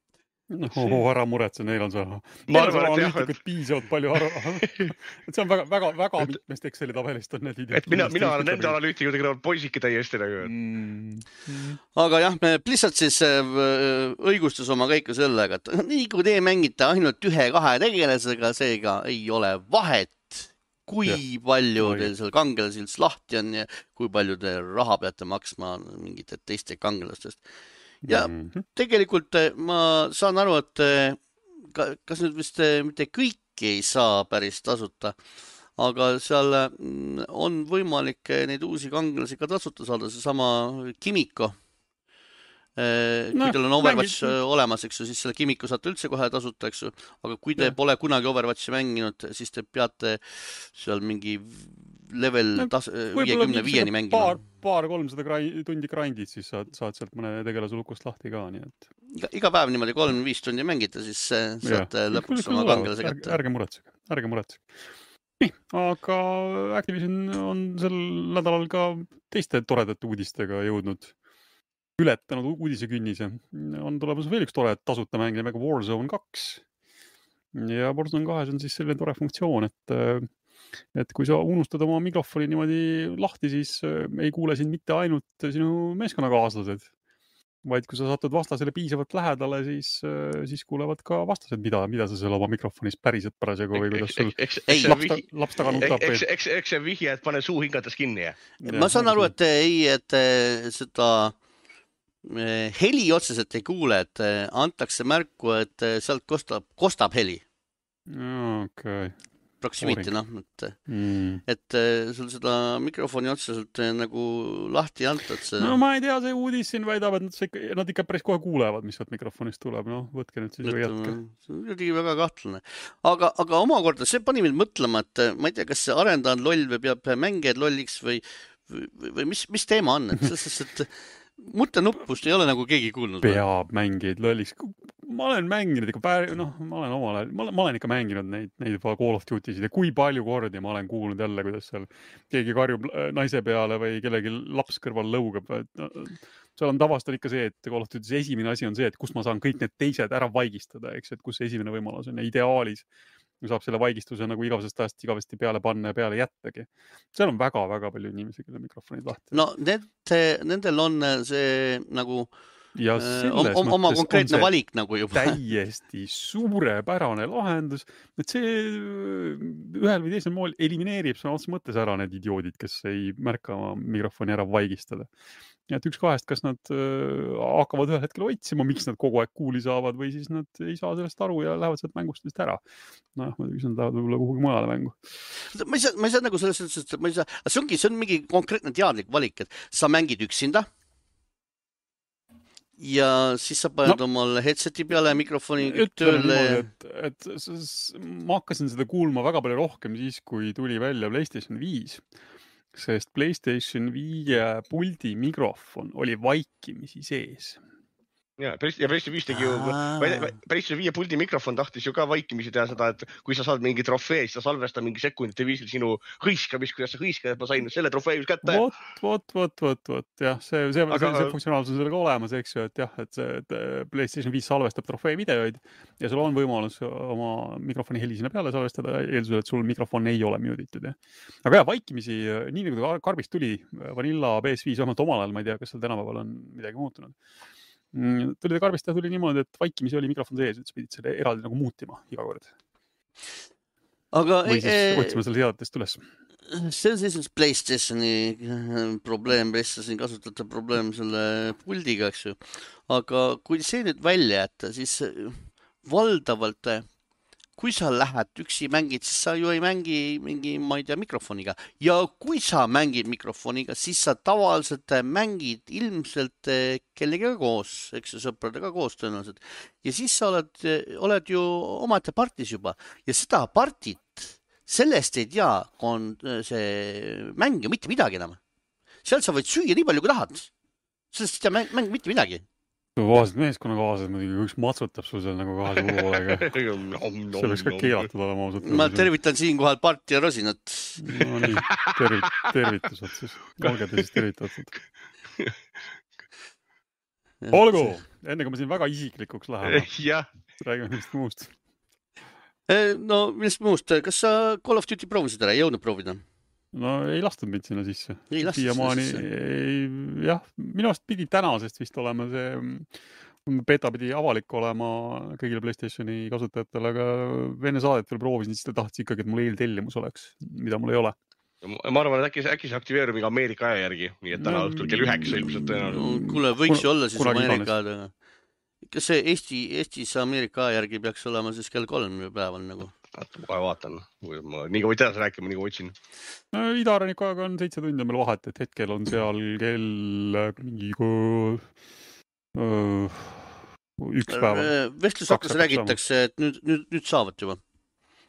Ära muretse, neil on see. Ma arvan, et piisavalt palju see on väga mitmest Exceli tabelist on need videod. Mina olen nende analüütikudega poisiki täiesti nagu. Aga jah, Blizzard siis õigustas oma kõike sellega, et nii kui te mängite ainult 1-2 tegelasega, seega ei ole vahet, kui palju teil seal kangelasi lahti on ja kui palju te raha peate maksma mingite teiste kangelastest. Ja tegelikult ma saan aru, et kas nüüd vist mitte kõiki ei saa päris tasuta, aga seal on võimalik neid uusi kangelasi ka tasuta saada, see sama Kimiko. Kui teil on Overwatch olemas, eks ju, siis selle Kimiko saate üldse kohe tasuta, eks ju, aga kui te pole kunagi Overwatchi mänginud, siis te peate seal mingi level 55-ni mängima. Paar 300 tundi grindid, siis saad sealt mõne tegelase lukust lahti ka, nii et. Iga päev niimoodi 3-5 tundi mängite, siis saate lõpuks oma kangelase kätte. Ärge muretsege. Nii, aga Activision on sel nädalal ka teiste toredate uudistega jõudnud. Ületanud uudisekünnise. On tulemas veel üks tore tasuta mäng nimega Warzone 2. Ja Warzone 2 on siis selline tore funktsioon, et kui sa unustad oma mikrofoni niimoodi lahti, siis ei kuule sind mitte ainult sinu meeskonnakaaslased, vaid kui sa satud vastasele piisavalt lähedale, siis kuulevad ka vastased, mida sa seal oma mikrofonis päriselt parasjagu või kuidas sul laps taga nutab. Eks see vihje, et pane suu hingates kinni. Ma saan aru, et seda heli otseselt ei kuule, et antakse märku, et sealt kostab heli. Okay. Proximity, et sul seda mikrofoni otseselt nagu lahti antad. No ma ei tea, see uudis siin väidab, et nad ikka päris kohe kuulevad, mis sealt mikrofonist tuleb. No, võtke nüüd siis või jätke. See on kuidagi väga kahtlane. Aga omakorda see pani mind mõtlema, et ma ei tea, kas see arendaja on loll või peab mängijad lolliks või mis teema on, et muttenuppust ei ole nagu keegi kuulnud. Peab mängijaid lolliks. Ma olen mänginud ikka, ma olen ikka mänginud neid Call of Duty'sid ja kui palju kordi ma olen kuulnud jälle, kuidas seal keegi karjub naise peale või kellegi laps kõrval lõugab. Seal on tavast ikka see, et Call of Duty's esimene asi on see, et kus ma saan kõik need teised ära vaigistada, eks, et kus see esimene võimalus on ja ideaalis saab selle vaigistuse nagu igavesest ajast igavesti peale panna ja peale jättagi. Seal on väga-väga palju inimesi, kelle mikrofonid lahti. No nendel on see nagu ja selles oma mõttes konkreetne valik nagu juba. Täiesti suurepärane lahendus, et see ühel või teisel moel elimineerib sõna otseses mõttes ära need idioodid, kes ei märka oma mikrofoni ära vaigistada. Et üks kahest, kas nad hakkavad ühel hetkel otsima, miks nad kogu aeg kuuli saavad või siis nad ei saa sellest aru ja lähevad sealt mängust vist ära. Muidugi nad lähevad võib-olla kuhugi mujale mängu. Ma ei saa nagu selles suhtes, et ma ei saa, see on mingi konkreetne teadlik valik, et sa mängid üksinda ja siis sa paned omal headseti peale mikrofoni tööle. Et ma hakkasin seda kuulma väga palju rohkem siis, kui tuli välja PlayStation 5. Sest PlayStation 5 puldi mikrofon oli vaikimisi sees. Ja PlayStation 5 tegi ju, PlayStation 5 puldi mikrofon tahtis ju ka vaikimisi teha seda, et kui sa saad mingi trofee, siis sa salvesta mingi sekundite viisil sinu hõiskamist, kuidas sa hõiskad, et ma sain selle trofee just kätte. Vot, jah, see funktsionaalsus on sellega olemas, eks ju, et jah, et PlayStation 5 salvestab trofee videoid ja sul on võimalus oma mikrofoni heli sinna peale salvestada, eeldusel, et sul mikrofon ei ole mutitud. Aga jah, vaikimisi, nii nagu karbist tuli Vanilla PS5, vähemalt omal ajal, ma ei tea, kas seal tänapäeval on midagi muutunud. Tuli karbist ja tuli niimoodi, et vaikimisi oli mikrofon sees, et sa pidid selle eraldi nagu muutima iga kord. Või siis otsima selle seadetest üles. See on siis PlayStationi probleem, PlayStationi kasutajate probleem selle puldiga, eks ju. Aga kui see nüüd välja jätta, siis valdavalt, kui sa lähed üksi mängid, siis sa ju ei mängi mingi, ma ei tea, mikrofoniga. Ja kui sa mängid mikrofoniga, siis sa tavaliselt mängid ilmselt kellegagi koos, eks sõpradega koos tõenäoliselt. Ja siis sa oled ju omaette partis juba. Ja seda partit, sellest ei tea, kui on see mäng ju mitte midagi enam. Sealt sa võid süüa nii palju, kui tahad. Sellest ei tea mäng mitte midagi. Vaased meeskonnakaased muidugi, üks matsutab sul seal nagu kahe suu poolega. See võiks ka keelatud olema ausalt. Ma tervitan siinkohal Part ja Rosinat. No nii, tervitused siis. Olge te siis tervitatud. Olgu, enne kui me siin väga isiklikuks läheme. Räägime millest muust. No millest muust? Kas sa Call of Duty proovisid ära? Ei jõudnud proovida? No ei lastud mind sinna sisse. Siiamaani, jah, minu arust pidi tänasest vist olema see beta pidi avalik olema kõigile PlayStationi kasutajatele, aga enne saadet veel proovisin, siis ta tahtis ikkagi, et mul eeltellimus oleks, mida mul ei ole. Ma arvan, et äkki see aktiveerub iga Ameerika aja järgi, nii et täna õhtul kell 9 ilmselt tõenäoliselt. Kuule, võiks ju olla siis Ameerika aja. Kas see Eestis Ameerika aja järgi peaks olema siis kell 3 päeval nagu? Kohe vaatan. Nii kui võid edasi rääkima, nii kui võtsin. Idaranniku ajaga on 7 tundi meil vahet, et hetkel on seal kell mingi üks päeva. Vestlusakkas räägitakse, et nüüd saavad juba.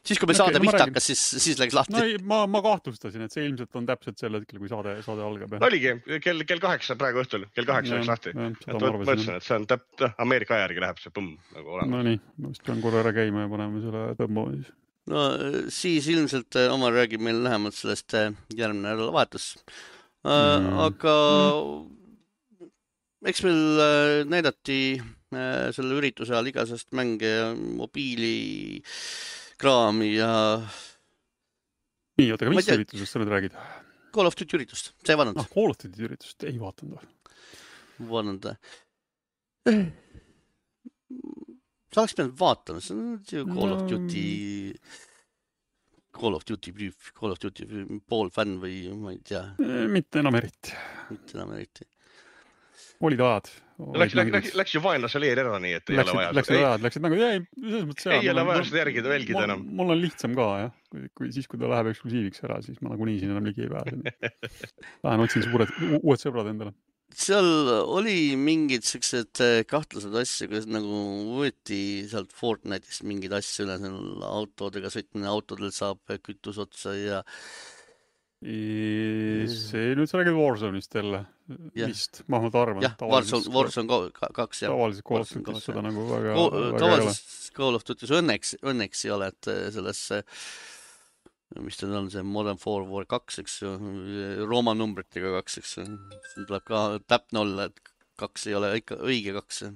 Siis kui me saade vist hakkas, siis läks lahti. No ma kahtlustasin, et see ilmselt on täpselt sel hetkel, kui saade algab. Oligi, kell 8 praegu õhtul, kell 8 läks lahti. Mõtlesin, et see on Ameerika aja järgi läheb see põmm nagu olema. No nii, ma vist pean korra ära käima ja paneme selle tõmbama siis. No siis ilmselt Omar räägib meil lähemalt sellest järgmine nädalavahetus. Aga eks meil näidati selle ürituse ajal igasest mänge ja mobiili kraami ja... Nii, oota, aga mis üritusest sa nüüd räägid? Call of Duty üritust, sa ei vaadanud? Call of Duty üritust, ei vaatanud. Vaadanud. Sa oleks pidanud vaatama, see on Call of Duty pool fänn või ma ei tea. Mitte enam eriti. Olid ajad. Läks ju vaenlase leer ära nii, et ei ole vaja. Läksid nagu, ei ole vaja seda järgida välgida enam. Mul on lihtsam ka, jah. Siis, kui ta läheb eksklusiiviks ära, siis ma nagunii siin enam ligi ei pääse. Lähen otsin uued sõbrad endale. Seal oli mingid sellised kahtlased asja, kuidas nagu võeti sealt Fortnite'ist mingid asja üle, autodega sõitmine, autodel saab kütus otsa ja see nüüd sa räägid Warzone'ist jälle vist, ma arvan. Jah, Warzone 2. Tavaliselt Call of Duty's seda nagu väga tavaliselt Call of Duty's õnneks ei ole, et selles, mis ta on, see Modern Warfare 2, eks ju, Rooma numbritega 2, eks ju. See tuleb ka täpne olla, et 2 ei ole ikka õige 2.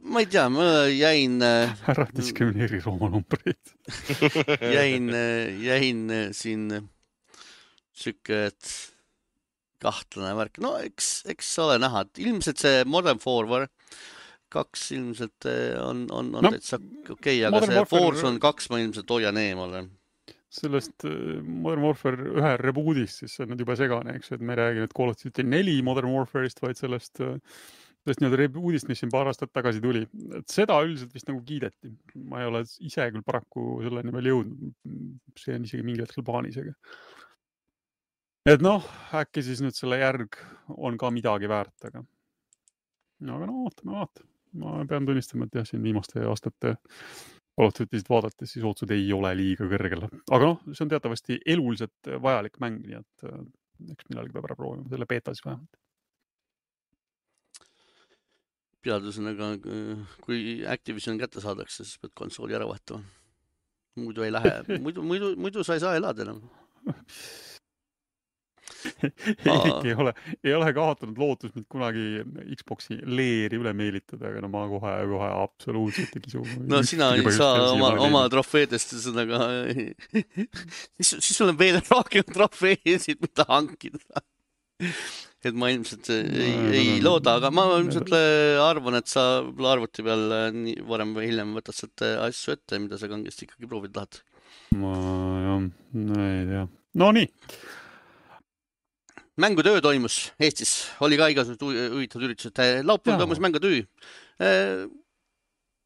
Ma ei tea, ma jäin... Ära diskrimineeri Rooma numbreid. jäin siin sükke, et kahtlane värk. No eks ole näha, et ilmselt see Modern Warfare 2 ilmselt on täitsa okei, aga Modern see Warfare... Warzone 2 ma ilmselt hoian eemale. Sellest Modern Warfare 1 rebootist, siis see on nüüd juba segane, eks, et me ei räägi nüüd Call of Duty 4 Modern Warfare'ist, vaid sellest nii-öelda rebootist, mis siin paar aastat tagasi tuli. Et seda üldiselt vist nagu kiideti. Ma ei ole ise küll paraku selleni veel jõudnud. See on isegi mingi hetkel plaanis. Et noh, äkki siis nüüd selle järg on ka midagi väärt, aga no vaatame. Ma pean tunnistama, et jah, siin viimaste aastate Call of Duty'st vaadates siis ootused ei ole liiga kõrgel. Aga noh, see on teatavasti eluliselt vajalik mäng, nii et eks millalgi peab ära proovima selle beeta siis vähemalt. Peadusega, kui Activision kätte saadakse, siis pead konsooli ära vahetama. Muidu ei lähe, muidu sa ei saa elada enam. Erik ei ole kaotanud lootus mind kunagi Xboxi leeri üle meelitada, aga no ma kohe absoluutselt ei kisu. No sina ei saa oma trofeedest sõnaga, siis sul on veel rohkem trofeesid, mida hankida. Et ma ilmselt ei looda, aga ma ilmselt arvan, et sa arvuti peal varem või hiljem võtad sealt asju ette, mida sa kangesti ikkagi proovida tahad. Ei tea. No nii. Mängutöö toimus Eestis, oli ka igasugused huvitavad üritused. Laupäeval toimus mängutöö.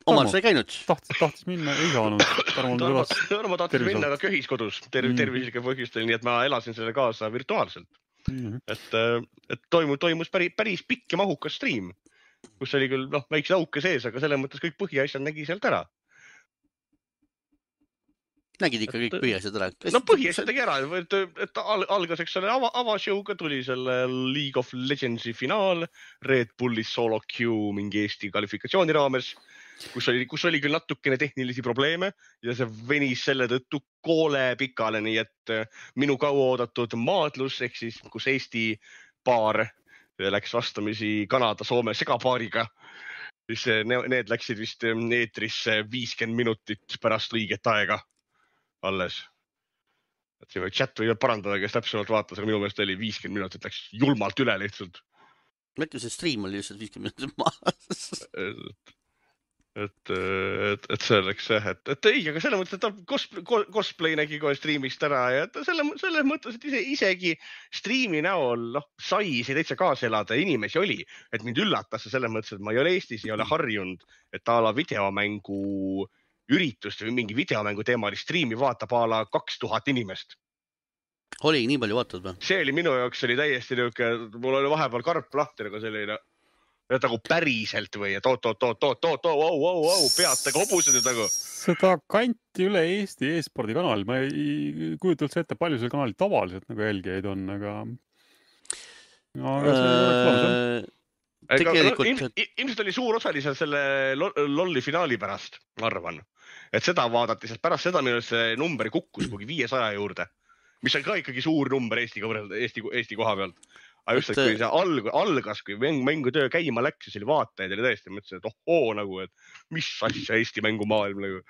Omar, sa ei käinud? Tahtis minna, ei saanud. Ma tahtis minna, aga köhis kodus tervislike põhjustel, nii et ma elasin selle kaasa virtuaalselt. Et toimus päris pikk ja mahukas stream, kus oli küll väikse auke sees, aga selle mõttes kõik põhiasjad nägi sealt ära. Nägid ikka kõik põhiasjad ära? No põhiasjad tegi ära, et algaseks selle avashowga tuli selle League of Legendsi finaal, Red Bulli solo queue mingi Eesti kvalifikatsiooni raames, kus oli küll natukene tehnilisi probleeme ja see venis selle tõttu koole pikale, nii et minu kauaoodatud maadlus, ehk siis kus Eesti paar läks vastamisi Kanada-Soome segapaariga, siis need läksid vist eetrisse 50 minutit pärast õiget aega alles. Et siin chat võivad parandada, kes täpsemalt vaatas, aga minu meelest oli 50 minutit läks julmalt üle lihtsalt. Mõtlen, see stream oli lihtsalt 50 minutit maas. Et see oleks see, et ei, aga selle mõttes, et cosplay nägi kohe streamist ära ja selle mõttes, et isegi streami näol sai see täitsa kaasa elada, inimesi oli, et mind üllatas selle mõttes, et ma ei ole Eestis, ei ole harjunud, et ala videomängu üritust või mingi videomängu teemal streami vaatab ala 2000 inimest. Oli nii palju vaatad või? See oli minu jaoks, oli täiesti niuke, mul oli vahepeal karp lahti, aga selline nagu päriselt või, et peatega hobused nüüd nagu. Seda kanti üle Eesti e-spordi kanal, ma ei kujuta üldse ette, palju seal kanalil tavaliselt nagu jälgijaid on, aga ilmselt oli suur osaliselt selle lolli finaali pärast, ma arvan. Et seda vaadati, sest pärast seda minu see number kukkus kugi 500 juurde, mis on ka ikkagi suur number Eesti koha pealt. Aga just, et kui see algas, kui mängutöö käima läks, siis oli vaatajaid oli tõesti, mõtlesin, et nagu, et mis asja Eesti mängumaailm nagu.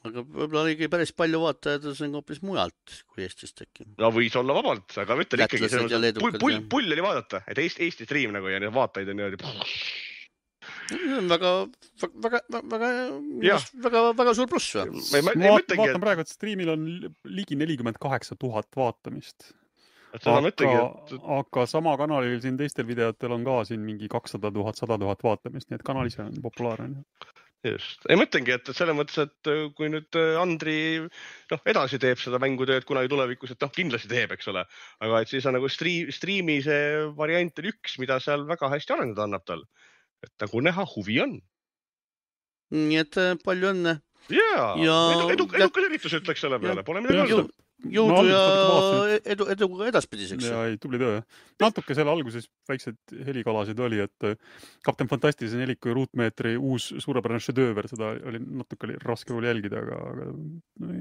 Aga võib-olla oligi päris palju vaatajaid, see on hoopis mujalt kui Eestis tekkinud. No võis olla vabalt, aga mõtlen ikkagi, pull oli vaadata, et Eesti stream nagu ja vaatajaid on niimoodi. Väga suur pluss või? Vaatan praegu, et streamil on ligi 48 000 vaatamist. Aga sama kanalil siin teistel videotel on ka siin mingi 200 000, 100 000 vaatamist, nii et kanal ise on populaarne. Just. Ei mõtlengi, et selle mõttes, et kui nüüd Andri edasi teeb seda mängutööd kunagi tulevikus, et kindlasti teeb, eks ole. Aga et siis on nagu streami see variant on üks, mida seal väga hästi arendada annab tal. Et nagu näha huvi on. Nii et palju õnne. Jaa, edukas üritus ütleks selle peale, pole midagi olnud. Jõudu ja edu edaspidiseks. Ja tubli töö. Natuke selle alguses väiksed helikalasid oli, et Kapten Fantastilise 4 ruutmeetri uus suurepärane šedööver, seda oli natuke raske oli jälgida, aga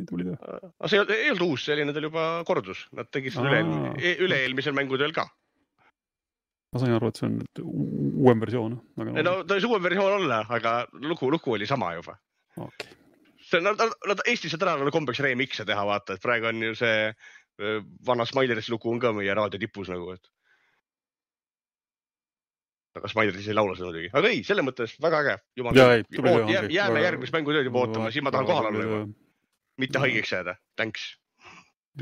tubli töö. Aga see ei olnud uus, see oli nendel juba kordus. Nad tegid seda üle-eelmisel mängutööl ka. Ma sain aru, et see on uuem versioon. No ta oli uuem versioon olla, aga lugu oli sama juba. Okei. Nad Eestis ja tänaval kombeks remix'e teha, vaata, et praegu on ju see vana Smileris lugu on ka meie raadio tipus nagu, et aga Spider siis ei laula seda muidugi. Aga ei, selle mõttes väga äge. Jääme järgmist mängutööd juba ootama, siis ma tahan kohal olla juba. Mitte haigeks jääda. Thanks.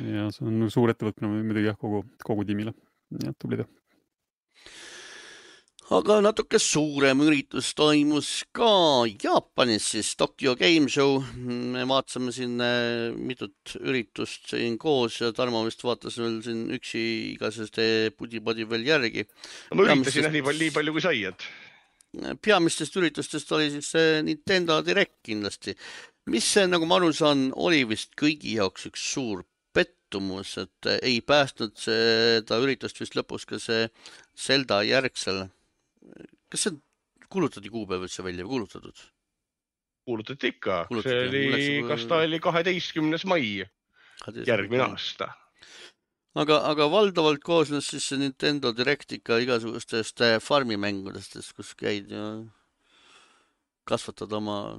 Ja see on suur ettevõtmine muidugi jah, kogu tiimile. Ja tublida. Aga natuke suurem üritus toimus ka Jaapanis, siis Tokyo Game Show. Me vaatasime siin mitut üritust siin koos ja Tarmo vist vaatas veel siin üksi igaseste pudi-podi veel järgi. Ma üritasin nii palju kui sai, et... Peamistest üritustest oli siis Nintendo Direct kindlasti. Mis see, nagu ma aru saan, oli vist kõigi jaoks üks suur pettumus, et ei päästnud seda üritust vist lõpus ka see Zelda järgsel. Kas see kuulutati kuupäev üldse välja või kuulutatud? Kuulutati ikka. See oli, kas ta oli 12. mai järgmine aasta. Aga valdavalt koosnes siis see Nintendo Direct ikka igasugustest farmimängudest, kus käid ja kasvatad oma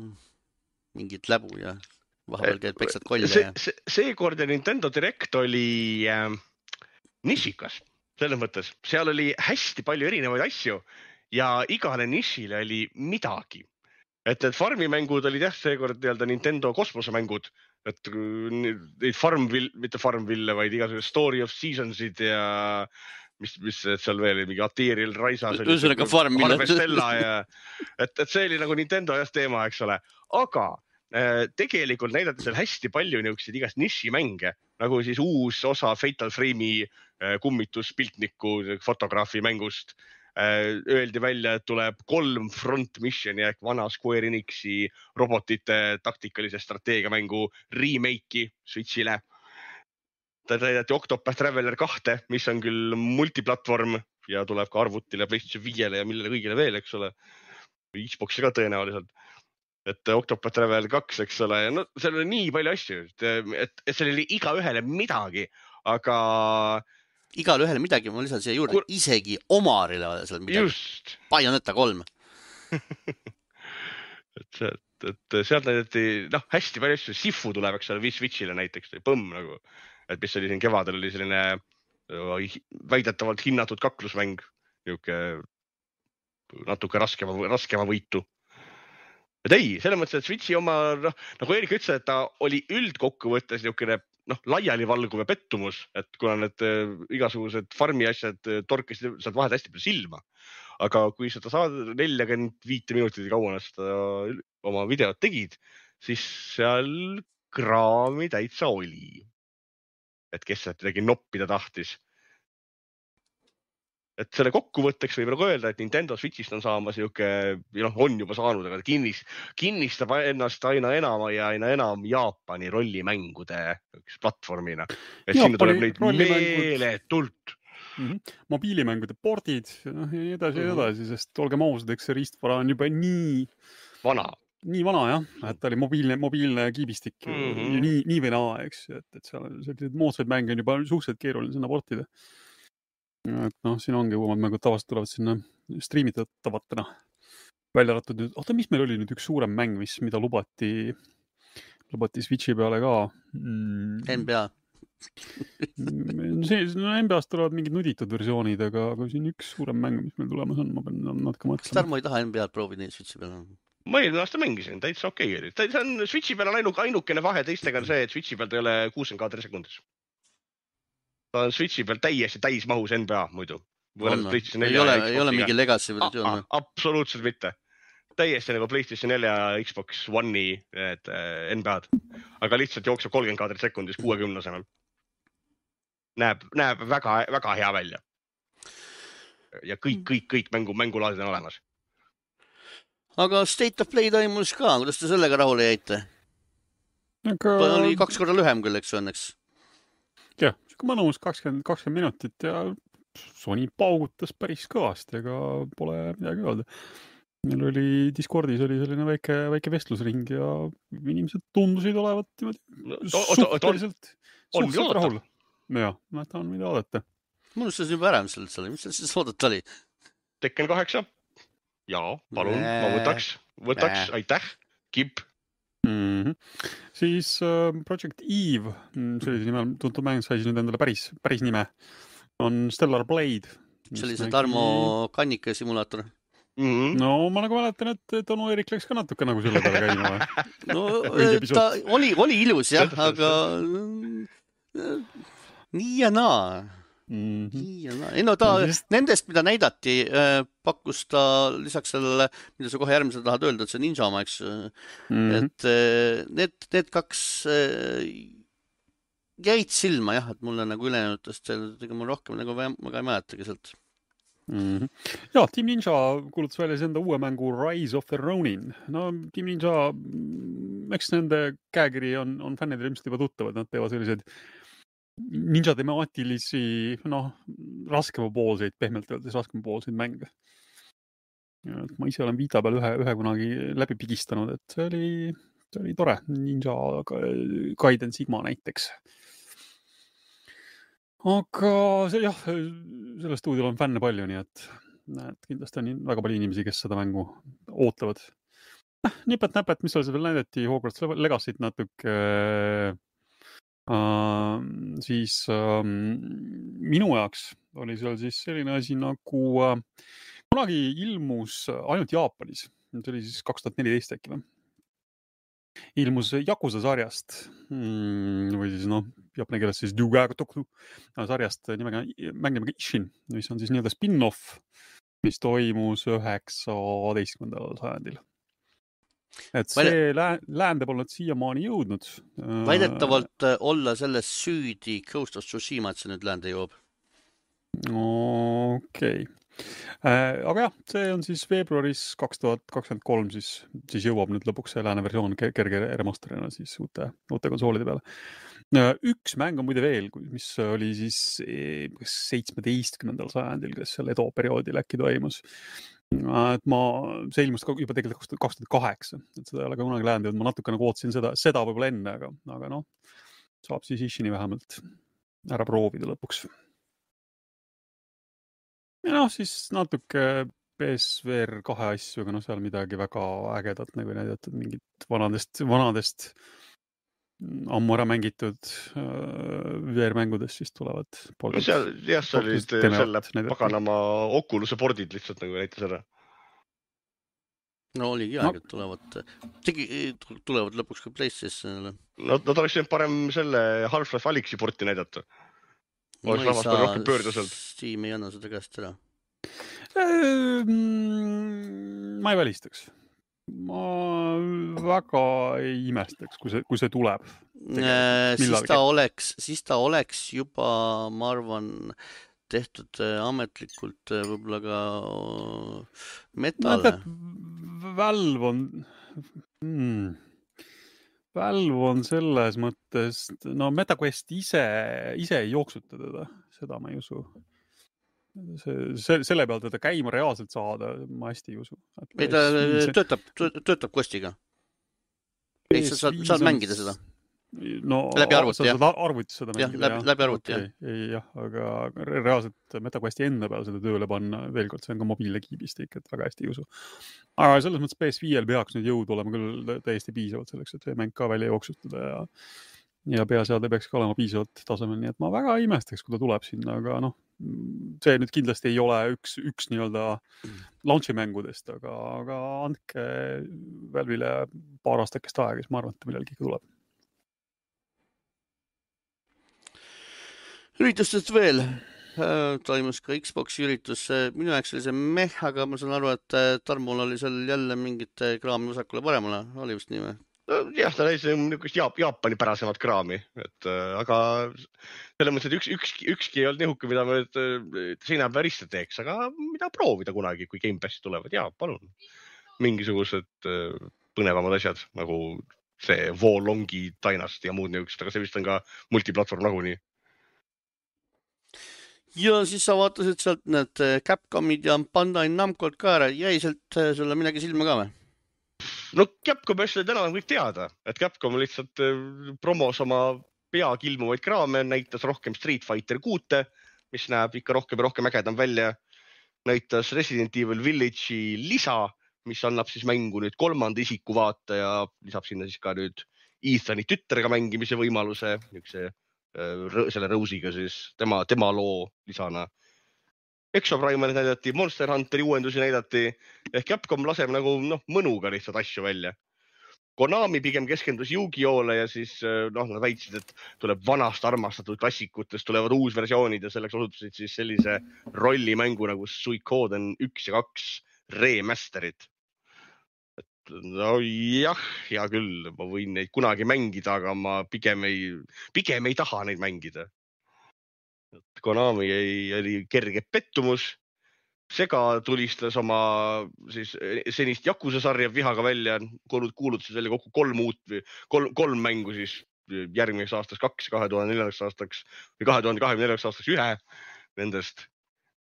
mingit läbu ja vahepeal käid peksad kolja. Seekord Nintendo Direct oli nišikas. Selles mõttes, seal oli hästi palju erinevaid asju ja igale nišile oli midagi. Et farmimängud olid jah, seekord Nintendo kosmosemängud, et neid mitte Farmville, vaid igasugused Story of Seasonsid ja mis seal veel, mingi Aterial Raisas oli. Ühesõnaga Farmville. Harvestella ja et see oli nagu Nintendo teema, eks ole. Aga tegelikult näidati seal hästi palju niisuguseid igast nišimänge, nagu siis uus osa Fatal Frame'i kummituspiltniku fotograafi mängust. Öeldi välja, et tuleb 3 front missioni ehk vana Square Enixi robotite taktikalise strateegiamängu remake'i Switchile. Ta näidati Octopath Traveler 2, mis on küll multiplatvorm ja tuleb ka arvutile, PlayStation 5-le ja millele kõigile veel, eks ole. Xbox'i ka tõenäoliselt. Et Octopath Traveler 2, eks ole. No, seal oli nii palju asju, et seal oli iga ühele midagi, aga... Igal ühele midagi, ma lisan siia juurde, isegi Omarile oli seal midagi. Just. Bayonetta 3. et sealt näidati, hästi palju asju. Sifu tuleb, eks ole, Switchile näiteks, põmm nagu. Et mis oli siin kevadel, oli selline väidetavalt hinnatud kaklusmäng. Natuke raskema võitu. Et ei, selles mõttes, et Switchi oma, nagu Erik ütles, et ta oli üldkokkuvõttes niisugune laiali valguv ja pettumus, et kuna need igasugused farmi asjad torkisid sealt vahed hästi palju silma. Aga kui seda saad 45 minutit kauana seda oma videot tegid, siis seal kraami täitsa oli. Et kes sealt midagi noppida tahtis. Et selle kokkuvõtteks võib nagu öelda, et Nintendo Switchist on saamas on juba saanud, aga kinnistab ennast aina enam Jaapani rollimängude platvormina. Et sinna tuleb neid meeletult. Mobiilimängude pordid ja nii edasi, sest olgem ausad, eks see riistvara on juba nii vana jah, et ta oli mobiilne kiibistik nii või naa, eks, et seal sellised moodsaid mänge on juba suhteliselt keeruline sinna portida. Et siin ongi uuemad mängud tavaliselt tulevad sinna striimitavatena välja arvatud nüüd. Oota, mis meil oli nüüd üks suurem mäng, mida lubati Switchi peale ka? NBA. NBA-st tulevad mingid nuditud versioonid, aga siin üks suurem mäng, mis meil tulemas on, ma pean natuke mõtlema. Kas Tarmo ei taha NBA-d proovida Switchi peale? Ma eelmine aasta mängisin, täitsa okei. See on Switchi peal on ainukene vahe teistega on see, et Switchi peal ta ei ole 60 kaadri sekundis. Ta on Switchi peal täiesti täismahus NBA muidu. Ei ole mingi legacy versioon. Absoluutselt mitte. Täiesti nagu PlayStation 4 ja Xbox One'i NBA-d. Aga lihtsalt jookseb 30 kaadrit sekundis 60 asemel. Näeb väga, väga hea välja. Ja kõik mängulaadid on olemas. Aga State of Play toimus ka. Kuidas te sellega rahule jäite? Oli 2 korda lühem küll, eks õnneks. Jah, mõnus 20 minutit ja Sony paugutas päris kõvasti, aga pole midagi öelda. Meil oli Discordis oli selline väike vestlusring ja inimesed tundusid olevat suhteliselt rahul. Jah, ma tahan mida oodata. Ma unustasin juba ära, mis see oodata oli. Tekken 8. Jaa, palun, ma võtaks, aitäh, Kip. Siis Project Eve, sellise nimel tuntud mäng sai nüüd endale päris nime, on Stellar Blade. see oli see Tarmo Kannike simulaator. No ma nagu mäletan, et Onu Eerik läks ka natuke nagu selle peale käima või? No ta oli ilus jah, aga nii ja naa. Ei no ta nendest, mida näidati, pakkus ta lisaks sellele, mida sa kohe järgmisel tahad öelda, et see Ninja oma, eks. Et need kaks jäid silma jah, et mulle nagu ülejäänud, ega mul rohkem nagu väga ei mäletagi sealt. Ja, Team Ninja kuulutas välja enda uue mängu Rise of the Ronin. No Team Ninja, eks nende käekiri on fännidel ilmselt juba tuttavad, nad teevad selliseid ninja temaatilisi, raskemapoolseid, pehmelt öeldes raskemapoolseid mänge. Ma ise olen Vita peal ühe kunagi läbi pigistanud, et see oli tore. Ninja Gaiden Sigma näiteks. Aga selle stuudiol on fänne palju, nii et kindlasti on väga palju inimesi, kes seda mängu ootavad. Nipet-näpet, mis seal veel näidati, Hogwarts Legacy't natuke, siis minu jaoks oli seal siis selline asi nagu kunagi ilmus ainult Jaapanis, see oli siis 2014 äkki või? Ilmus Yakuza sarjast või siis jaapani keeles siis Ryugaku sarjast mängime Ishin, mis on siis nii-öelda spin-off, mis toimus 19. sajandil. Et see läände polnud siiamaani jõudnud. Väidetavalt olla selles süüdi Ghost of Tsushima, et see nüüd läände jõuab. Okei. Aga jah, see on siis veebruaris 2023 siis jõuab nüüd lõpuks see lääne versioon kerge remasterina siis uute konsoolide peale. Üks mäng on muide veel, mis oli siis 17. sajandil, kes seal Edo perioodil äkki toimus. Et see ilmus juba tegelikult 2008, et seda ei ole ka kunagi läände jõudnud. Ma natuke nagu ootasin seda võib-olla enne, aga saab siis Ishini vähemalt ära proovida lõpuks. Ja siis natuke PSVR 2 asju, aga seal midagi väga ägedat nagu näidatud, mingid vanadest ammu ära mängitud VR-mängudest siis tulevad. See olid selle paganama Oculus'e pordid lihtsalt nagu näitas ära. No oligi aeg, et tulevad lõpuks ka PlayStationile. No ta oleks parem selle Half-Life Alyxi porti näidata. Oleks rahvast rohkem pöörda sealt. Steam ei anna seda käest ära. Ma ei välistaks. Ma väga ei imestaks, kui see tuleb. Siis ta oleks juba, ma arvan, tehtud ametlikult võib-olla ka metale. Valve on selles mõttes, MetaQuest ise ei jooksuta teda, seda ma ei usu. Selle pealt teda käima reaalselt saada, ma hästi ei usu. Ei, ta töötab Questiga. Ehk sa saad mängida seda? Läbi arvuti, jah? Arvutis seda mängida, jah? Läbi arvuti, jah. Jah, aga reaalselt MetaQuesti enda peal seda tööle panna, veel kord, see on ka mobiilne kiibistik, et väga hästi ei usu. Aga selles mõttes PS5-l peaks nüüd jõud olema küll täiesti piisavalt selleks, et see mäng ka välja jooksutada ja peaseade peaks ka olema piisavalt tasemel, nii et ma väga imestaks, kui ta tuleb sinna, aga see nüüd kindlasti ei ole üks nii-öelda launchi mängudest, aga andke Valve'ile paar aastakest aega, siis ma arvan, et ta millalgi tuleb. Üritustest veel. Toimus ka Xboxi üritus. Minu jaoks oli see aga ma saan aru, et Tarmul oli seal jälle mingit kraami vasakule paremale. Oli vist nii või? Jah, ta näis Jaapani pärasemat kraami. Aga selle mõttes, et ükski ei olnud nihuke, mida me seina päriste teeks, aga mida proovida kunagi, kui Game Passi tulevad. Jaa, palun. Mingisugused põnevamad asjad, nagu see Wolongi Dynasty ja muud niisugused, aga see vist on ka multiplatvorm nagunii. Ja siis sa vaatasid sealt need Capcomid ja Bandai Namcod ka ära. Jäi sealt sulle midagi silma ka või? No Capcom asjad täna on kõik teada, et Capcom lihtsalt promos oma peakilmuvaid kraame, näitas rohkem Street Fighter 6, mis näeb ikka rohkem ägedam välja. Näitas Resident Evil Village'i lisa, mis annab siis mängu nüüd 3. isiku vaate ja lisab sinna siis ka nüüd Ethani tütrega mängimise võimaluse, selle Rose'iga siis tema loo lisana. Exoprimerit näidati, Monster Hunteri uuendusi näidati, ehk Capcom laseb nagu mõnuga lihtsalt asju välja. Konami pigem keskendus Yu-Gi-Oh'le ja siis nad väitsid, et tuleb vanast armastatud klassikutest, tulevad uusversioonid ja selleks osutusid siis sellise rollimängu nagu Suikoden 1 ja 2 remasterid. No jah, hea küll, ma võin neid kunagi mängida, aga ma pigem ei taha neid mängida. Konami oli kerge pettumus. Sega tulistas oma siis senist Yakuza sarja vihaga välja, kuulutasid välja kokku 3 mängu siis järgmiseks aastaks 2, 2004. aastaks või 2024. aastaks 1 nendest.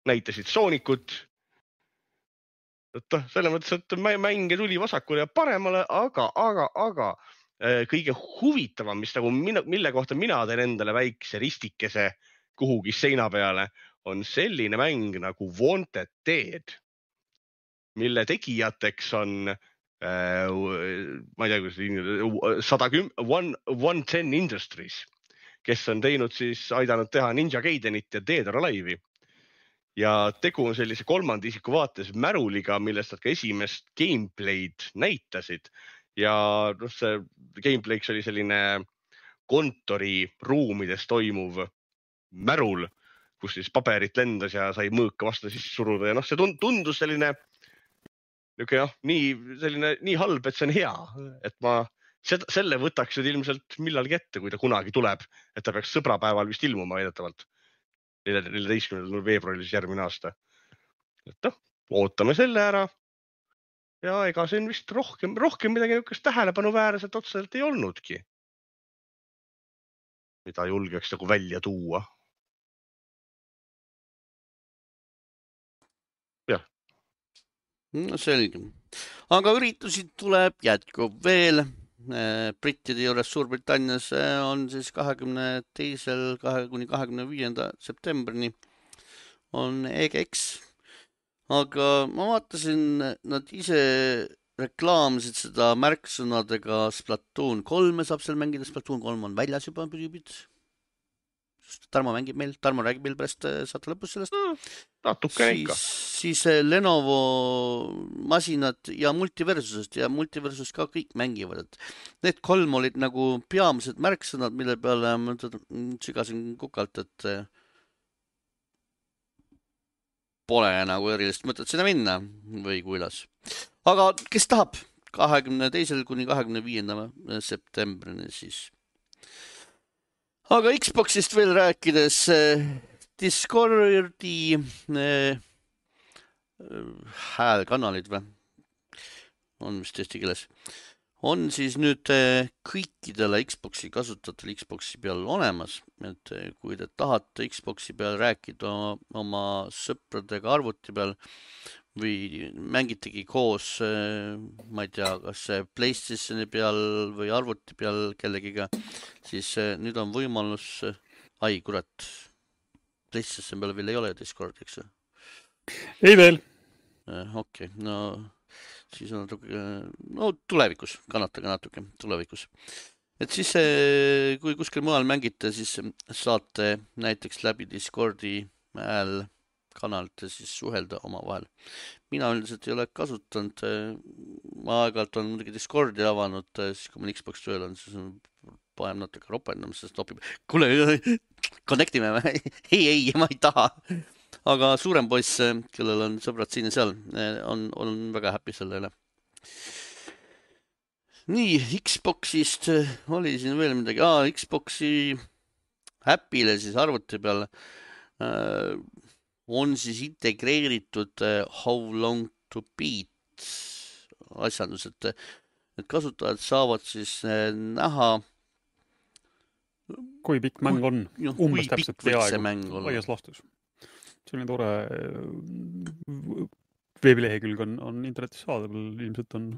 Näitasid Soonikut. Selles mõttes, et mänge tuli vasakule ja paremale, aga kõige huvitavam, mille kohta mina teen endale väikse ristikese kuhugi seina peale, on selline mäng nagu Wanted Dead, mille tegijateks on, ma ei tea, 110 Industries, kes on aidanud teha Ninja Gaidenit ja Dead or Alive'i. Ja tegu on sellise kolmanda isiku vaates märuliga, millest nad ka esimest gameplay'd näitasid. Ja see gameplay'ks oli selline kontoriruumides toimuv märul, kus siis paberit lendas ja sai mõõka vastu sisse suruda ja see tundus selline nii halb, et see on hea, et ma selle võtaks nüüd ilmselt millalgi ette, kui ta kunagi tuleb, et ta peaks sõbrapäeval vist ilmuma väidetavalt 14. veebruaril järgmine aasta. Et ootame selle ära ja ega see on vist rohkem midagi niisugust tähelepanuväärselt otseselt ei olnudki, mida julgeks nagu välja tuua. No selge. Aga üritusi tuleb jätkub veel. Brittide juures Suurbritannias on siis 22. kuni 25. septembrini on EGX. Aga ma vaatasin, nad ise reklaamsid seda märksõnadega Splatoon 3 saab seal mängida. Splatoon 3 on väljas juba püdipid. Tarmo mängib meil, Tarmo räägib meil pärast saate lõpus sellest. Natukene ikka. Siis Lenovo masinad ja Multiversusest ja Multiversusest ka kõik mängivad. Need 3 olid nagu peamised märksõnad, mille peale ma sügasin kukalt, et pole nagu erilist mõtet sinna minna või kuidas. Aga kes tahab 22. kuni 25. septembrini siis. Aga Xboxist veel rääkides, Discordi häälkanalid või? On vist eesti keeles. On siis nüüd kõikidele Xboxi kasutajatel Xboxi peal olemas, et kui te tahate Xboxi peal rääkida oma sõpradega arvuti peal või mängitegi koos, ma ei tea, kas PlayStationi peal või arvuti peal kellegiga, siis nüüd on võimalus, kurat, PlayStation peal veel ei ole Discord, eks? Ei veel. Okei, no siis on natuke, tulevikus, kannatage natuke, tulevikus. Et siis, kui kuskil mujal mängite, siis saate näiteks läbi Discordi hääl kanalite siis suhelda oma vahel. Mina üldiselt ei ole kasutanud, ma aeg-ajalt on muidugi Discordi avanud, siis kui meil Xbox tööl on, siis panem natuke ropendama, sest topib, kuule, connectime, ei, ma ei taha. Aga suurem poiss, kellel on sõbrad siin ja seal, on väga happy selle üle. Nii, Xboxist oli siin veel midagi. Xboxi äpile siis arvuti peal on siis integreeritud How Long to Beat asjandus, et kasutajad saavad siis näha, kui pikk mäng on, umbes täpselt laias laastus. Selline tore veebilehekülg on internetis saadaval, ilmselt on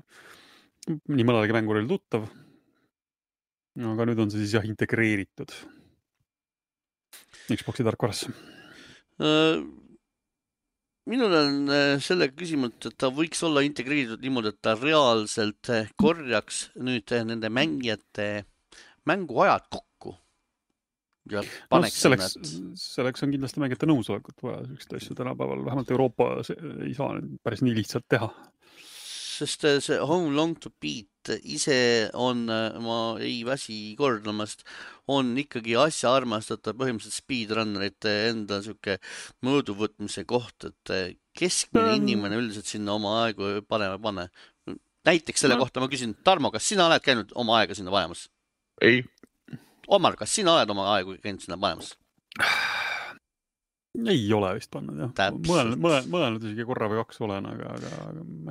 nii mõnelegi mänguril tuttav, aga nüüd on see siis integreeritud Xboxi tarkvarasse. Minul on sellega küsimus, et ta võiks olla integreeritud niimoodi, et ta reaalselt korjaks nüüd nende mängijate mänguajad kokku. ja No, paneks selleks on kindlasti mängijate nõusolekut vaja, sellist asju tänapäeval, vähemalt Euroopa ei saa päris nii lihtsalt teha. Sest see How Long to Beat ise on, ma ei väsi kordamast, on ikkagi asja armastatav põhimõtteliselt speedrunnerite enda siuke mõõduvõtmise koht, et keskmine inimene üldiselt sinna oma aegu panema pane. Näiteks selle kohta ma küsin, Tarmo, kas sina oled käinud oma aega sinna panemas? Ei. Omar, kas sina oled oma aegu käinud sinna panemas? Ei ole vist pannud, jah. Mõelnud isegi korra või kaks olen, aga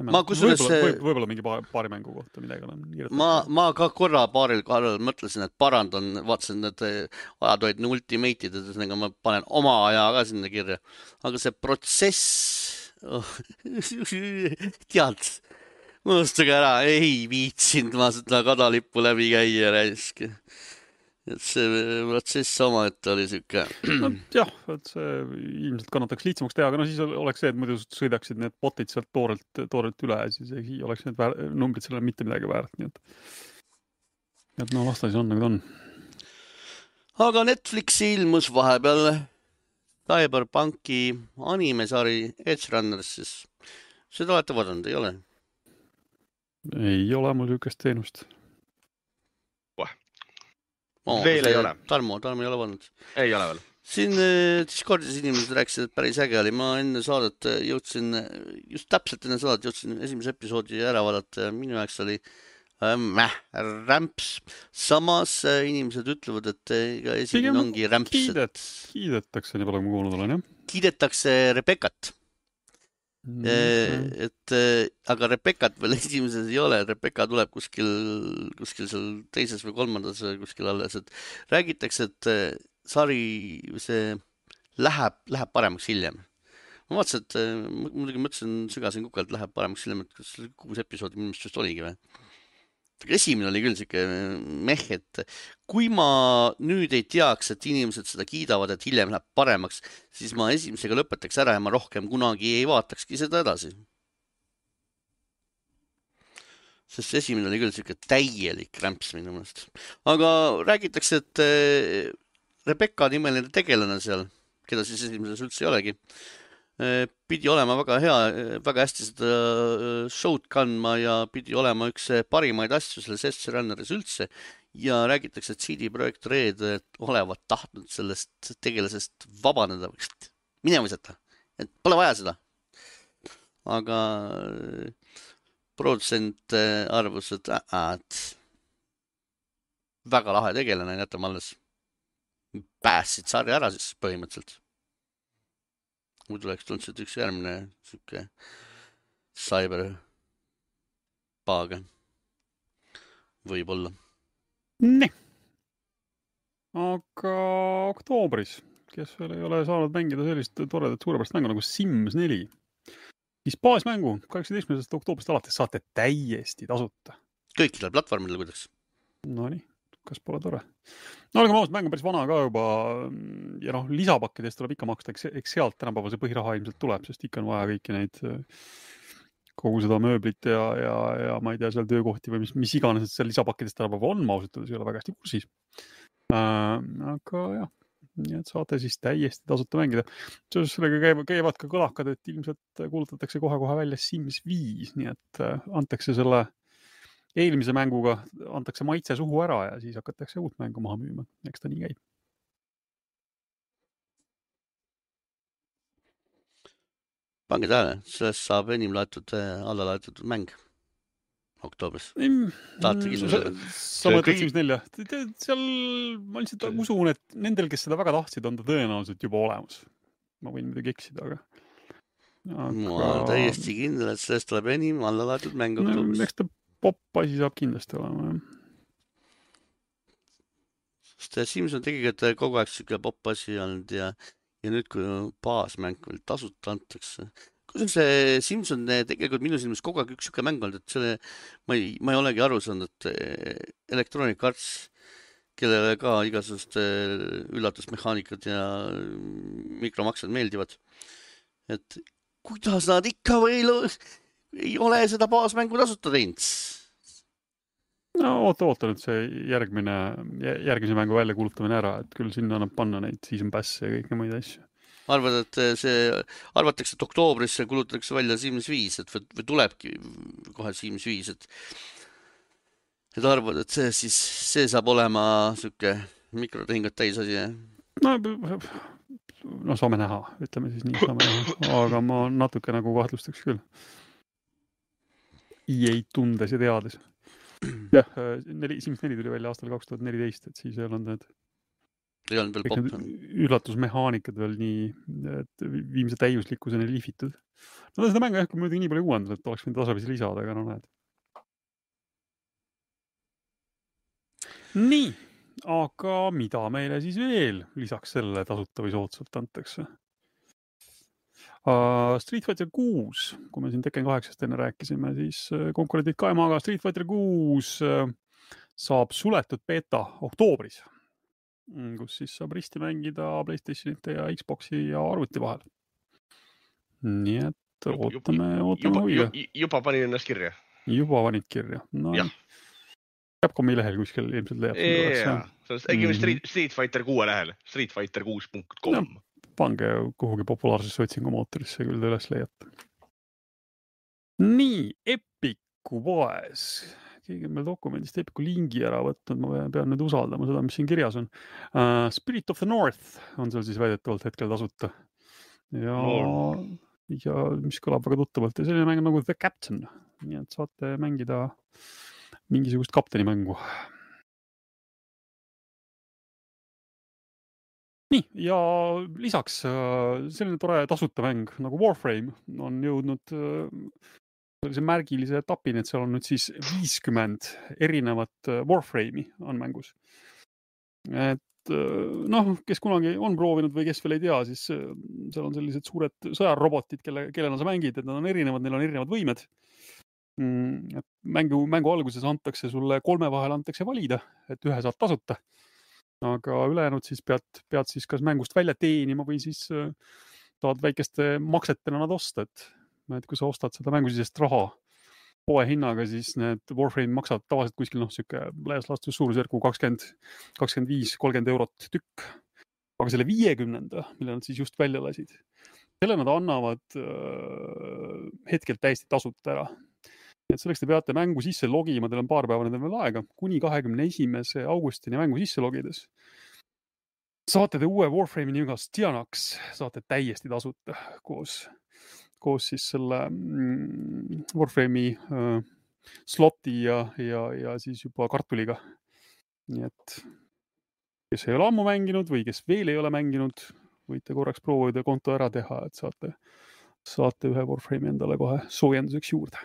ma kusjuures võib-olla mingi paari mängu kohta midagi olen kirjutanud. Ma ka korra paaril kohal mõtlesin, et parandan, vaatasin need ajad olid ultimate'id, et ma panen oma aja ka sinna kirja. Aga see protsess, tead, unustage ära, ei viitsinud ma seda kadalippu läbi käia raisk. Et see protsess omaette oli siuke. No, jah, et see ilmselt kannataks lihtsamaks teha, aga siis oleks see, et muidu sõidaksid need botid sealt toorelt üle ja siis ei oleks need numbrid sellele mitte midagi väärt. Nii et no vastas on, nagu ta on. Aga Netflixi ilmus vahepeal Cyberpunki animesari Edge Runners, siis seda olete vaadanud, ei ole? Ei ole mul niisugust teenust. Veel ei ole. Tarmo ei ole vaadanud. Ei ole veel. Siin Discordis inimesed rääkisid, et päris äge oli. Ma enne saadet jõudsin, just täpselt enne saadet jõudsin esimese episoodi ära vaadata ja minu jaoks oli rämps. Samas inimesed ütlevad, et ega esimene ongi rämps. Kiidetakse, nii palju kui kuulnud olen, jah? Kiidetakse Rebekat. Aga Rebekat veel esimeses ei ole, Rebeka tuleb kuskil seal teises või kolmandas kuskil alles, et räägitakse, et sari see läheb paremaks hiljem. Ma vaatasin, et muidugi mõtlesin, sügasin kukalt, läheb paremaks hiljem, et kas 6 episoodi minu meelest just oligi või? Esimene oli küll siuke et kui ma nüüd ei teaks, et inimesed seda kiidavad, et hiljem läheb paremaks, siis ma esimesega lõpetaks ära ja ma rohkem kunagi ei vaatakski seda edasi. Sest esimene oli küll siuke täielik rämps minu meelest. Aga räägitakse, et Rebeka nimeline tegelane seal, keda siis esimeses üldse ei olegi, pidi olema väga hea, väga hästi seda show'd kandma ja pidi olema üks parimaid asju selles Edge Runneris üldse ja räägitakse, et CD Projekt Red olevat tahtnud sellest tegelasest vabaneda, minema visata, et pole vaja seda. Aga produtsent arvus, et väga lahe tegelane, jätame alles. Päässid sarja ära siis põhimõtteliselt. Muidu oleks tulnud üks järgmine siuke cyberpaage. Võib-olla. Nii. Aga oktoobris, kes veel ei ole saanud mängida sellist toredat suurepärast mängu nagu Sims 4, siis baasmängu 18. oktoobrist alates saate täiesti tasuta. Kõikidel platvormidel kuidas? No nii. Kas pole tore? No olgem ausad, mäng on päris vana ka juba ja lisapakkidest tuleb ikka maksta, eks sealt tänapäeval see põhiraha ilmselt tuleb, sest ikka on vaja kõiki neid kogu seda mööblit ja ma ei tea, seal töökohti või mis iganes, et seal lisapakkidest tänapäeval on, ma ausalt, ei ole väga hästi kursis. Aga jah, nii et saate siis täiesti tasuta mängida. Seoses sellega käivad ka kõlakad, et ilmselt kuulutatakse kohe välja Sims 5, nii et antakse selle eelmise mänguga antakse maitse suhu ära ja siis hakatakse uut mängu maha müüma. Eks ta nii käib. Pange tähele, sellest saab enim alla laetud mäng oktoobris. Sa mõtled Sims 4. Seal ma lihtsalt usun, et nendel, kes seda väga tahtsid, on ta tõenäoliselt juba olemas. Ma võin midagi eksida, aga... Ma olen täiesti kindel, et sellest tuleb enim alla laetud mäng oktoobris. Eks ta pop-asi saab kindlasti olema. Sest Sims on tegelikult kogu aeg siuke pop-asi olnud ja nüüd, kui baasmäng veel tasuta antakse. Kuidas see Sims on tegelikult minu silmis kogu aeg üks siuke mäng olnud, et selle ma ei olegi aru saanud, et Electronic Arts, kellele ka igasugust üllatusmehaanikad ja mikromaksed meeldivad, et kuidas nad ikka veel ei ole seda baasmängu tasuta teinud. No ootan, et see järgmise mängu välja kuulutamine ära, et küll sinna annab panna neid season pass'e ja kõike muid asju. Arvatakse, et oktoobris kulutatakse välja Sims 5, või tulebki kohe Sims 5, et arvad, et see saab olema siuke mikrotehingut täis asi, jah? No saame näha, ütleme siis nii, saame näha, aga ma natuke nagu kahtlustaks küll. EA tundes ja teades. Jah, Sims 4 tuli välja aastal 2014, et siis ei olnud need üllatusmehaanikad veel nii, et viimse täiuslikkuseni lihvitud. No seda mängu ehk muidugi nii palju uuendanud, et oleks võinud tasapisi lisada, aga no näed. Nii, aga mida meile siis veel lisaks sellele tasuta või soodsalt antakse? Street Fighter 6, kui me siin Tekken 8-st enne rääkisime, siis konkurendid kaemaga Street Fighter 6 saab suletud beta oktoobris, kus siis saab risti mängida PlayStationite ja Xboxi ja arvuti vahel. Nii et ootame huviga. Juba panin ennast kirja. Juba panid kirja. No, Capcomi lehel kuskil ilmselt leiab. Street Fighter 6 lehel, streetfighter6.com. Pange kuhugi populaarsesse otsingumootorisse, küll te üles leiate. Nii, Epiku poes. Keegi meil dokumendist Epiku lingi ära võtnud, ma pean nüüd usaldama seda, mis siin kirjas on. Spirit of the North on seal siis väidetavalt hetkel tasuta. Ja mis kõlab väga tuttavalt. Ja selline mäng nagu The Captain. Nii et saate mängida mingisugust kapteni mängu. Nii, ja lisaks selline tore tasuta mäng nagu Warframe on jõudnud sellise märgilise etapini, et seal on nüüd siis 50 erinevat Warframe'i on mängus. Et kes kunagi on proovinud või kes veel ei tea, siis seal on sellised suured sõjarobotid, kellena sa mängid, et nad on erinevad, neil on erinevad võimed. Mängu alguses antakse sulle 3 vahel antakse valida, et ühe saad tasuta. Aga ülejäänud siis pead siis kas mängust välja teenima või siis tahad väikeste maksetena nad osta, et kui sa ostad seda mängusisest raha poe hinnaga, siis need Warframe maksavad tavaliselt kuskil siuke laias laastus suurusjärgu 25-30 eurot tükk. Aga selle 50, mille nad siis just välja lasid, selle nad annavad hetkel täiesti tasuta ära. Et selleks te peate mängu sisse logima, teil on paar päeva nendel veel aega, kuni 21. augustini mängu sisse logides. Saate te uue Warframe'i nimega Stianax, saate täiesti tasuta koos siis selle Warframe'i sloti ja siis juba kartuliga. Nii et kes ei ole ammu mänginud või kes veel ei ole mänginud, võite korraks proovida konto ära teha, et saate ühe Warframe'i endale kohe soojenduseks juurde.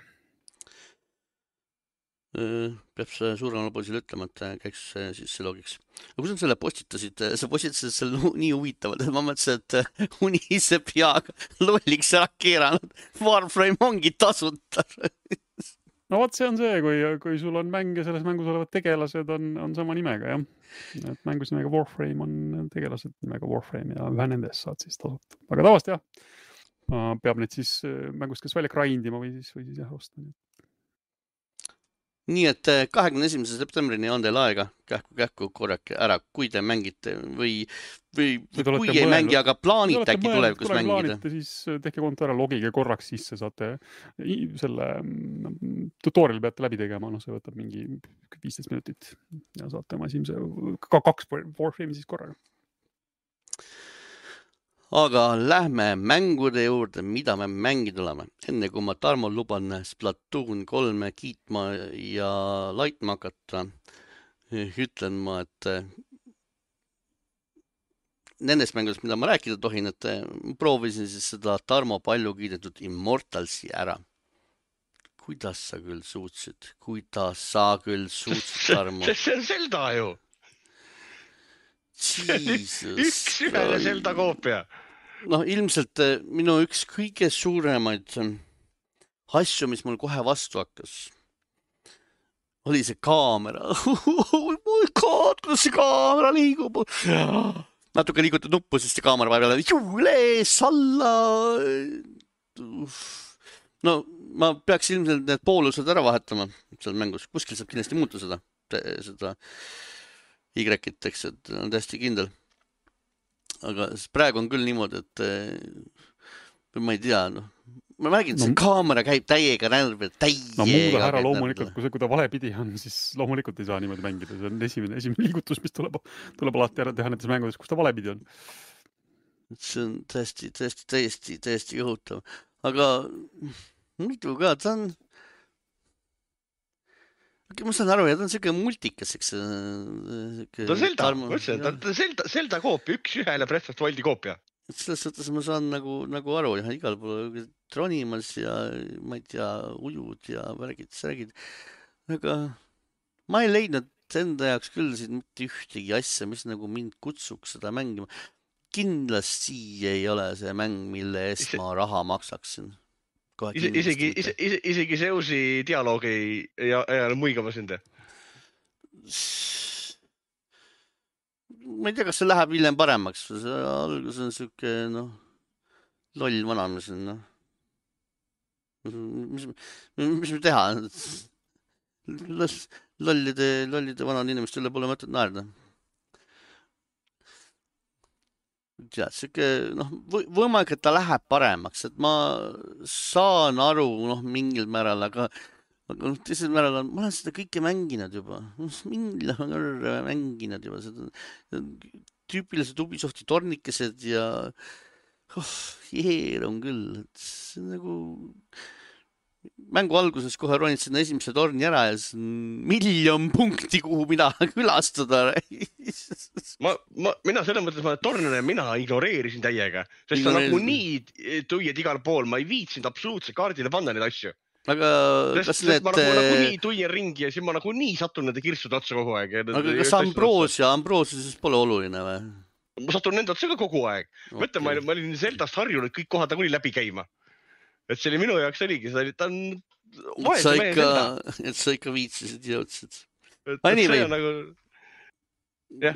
Peab see suuremale poisile ütlema, et käiks sisse logiks. Aga kui sa selle postitasid, sa postitasid selle nii huvitavad, et ma mõtlesin, et unise peaga lolliks ära keeranud. Warframe ongi tasuta. No vaat see on see, kui sul on mäng ja selles mängus olevad tegelased on sama nimega, jah. Et mängus nimega Warframe on tegelased nimega Warframe ja ühe nendest saad siis tasuta. Aga tavast jah, peab need siis mängust kas välja grindima või siis jah osta. Nii et 21. septembrini on teil aega kähku korrake ära, kui te mängite või kui ei mängi, aga plaanite äkki tulevikus mängida. Siis tehke konto ära, logige korraks sisse, saate selle tutorial peate läbi tegema, see võtab mingi 15 minutit ja saate oma esimese 2 Warframe'i siis korraga. Aga lähme mängude juurde, mida me mängida oleme. Enne kui ma Tarmol luban Splatoon 3 kiitma ja laitma hakata, ütlen ma, et nendest mängudest, mida ma rääkida tohin, et proovisin siis seda Tarmo palju kiidetud Immortalsi ära. Kuidas sa küll suutsid, Tarmo? See on Zelda ju! Üks ühele Zelda koopia. Ilmselt minu üks kõige suuremaid asju, mis mul kohe vastu hakkas, oli see kaamera. Oh my god, kuidas see kaamera liigub. Natuke liigutad nuppu, siis see kaamera vahepeal üles, alla. Ma peaks ilmselt need poolused ära vahetama seal mängus. Kuskil saab kindlasti muuta seda. seda Y-it, eks, et on täiesti kindel. Aga praegu on küll niimoodi, et ma ei tea, noh. Ma räägin, see kaamera käib täiega närvi, No muuda ära loomulikult, kui ta valepidi on, siis loomulikult ei saa niimoodi mängida. See on esimene liigutus, mis tuleb alati ära teha nendes mängudes, kus ta valepidi on. See on täiesti õhutav. Aga muidu ka, ta on... Ma saan aru, ta on selline multikas, eks. Ta on Zelda, ma ütlesin, ta on Zelda koopia, 1-1 Breath of the Wildi koopia. Selles suhtes ma saan nagu aru, ja igal pool tronimas ja ma ei tea, ujud ja värgid. Aga ma ei leidnud enda jaoks küll siin mitte ühtegi asja, mis nagu mind kutsuks seda mängima. Kindlasti ei ole see mäng, mille eest ma raha maksaksin. Isegi Zeusi dialoog ei muigama sind. Ma ei tea, kas see läheb hiljem paremaks. Algus on siuke, loll vanamees. Mis me teha? Lollide vanad inimeste üle pole mõtet naerda. Ja, siuke, võimalik, et ta läheb paremaks, et ma saan aru, mingil määral, aga teisel määral ma olen seda kõike mänginud juba. Mingil mänginud juba seda tüüpilised Ubisofti tornikesed ja jeer on küll, et see nagu mängu alguses kohe ronid sinna esimese torni ära ja see on 1,000,000 punkti, kuhu mina külastada. Mina selles mõttes, tornina mina ignoreerisin täiega, sest sa nagu nii tuied igal pool, ma ei viitsinud absoluutselt kaardile panna neid asju. Aga kas need... Ma nagu nii tuien ringi ja siis ma nagu nii satun nende kirstude otsa kogu aeg. Aga kas Ambroosia siis pole oluline või? Ma satun nende otsa ka kogu aeg. Mõtle, ma olin Zeldast harjunud kõik kohad nagu läbi käima. Et see oli minu jaoks oligi, ta on vaese mehe Zelda. Et sa ikka viitsisid ja jõudsid. See on nagu...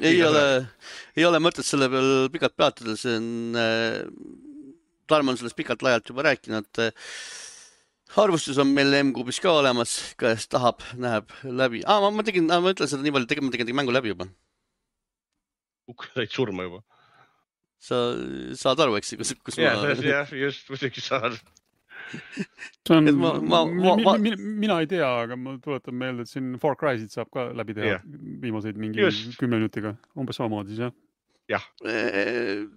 Ei ole mõtet selle peal pikalt peatada, see on... Tarmo on sellest pikalt laialt juba rääkinud. Arvustus on meil M-kuubis ka olemas, kes tahab, näeb läbi. Ma ütlen seda nii palju, ma tegin mängu läbi juba. Said surma juba. Sa saad aru, eks? Jah, just, muidugi saad. Mina ei tea, aga ma tuletan meelde, et siin Far Cry'sid saab ka läbi teha viimaseid mingi 10 minutiga. Umbes samamoodi siis, jah?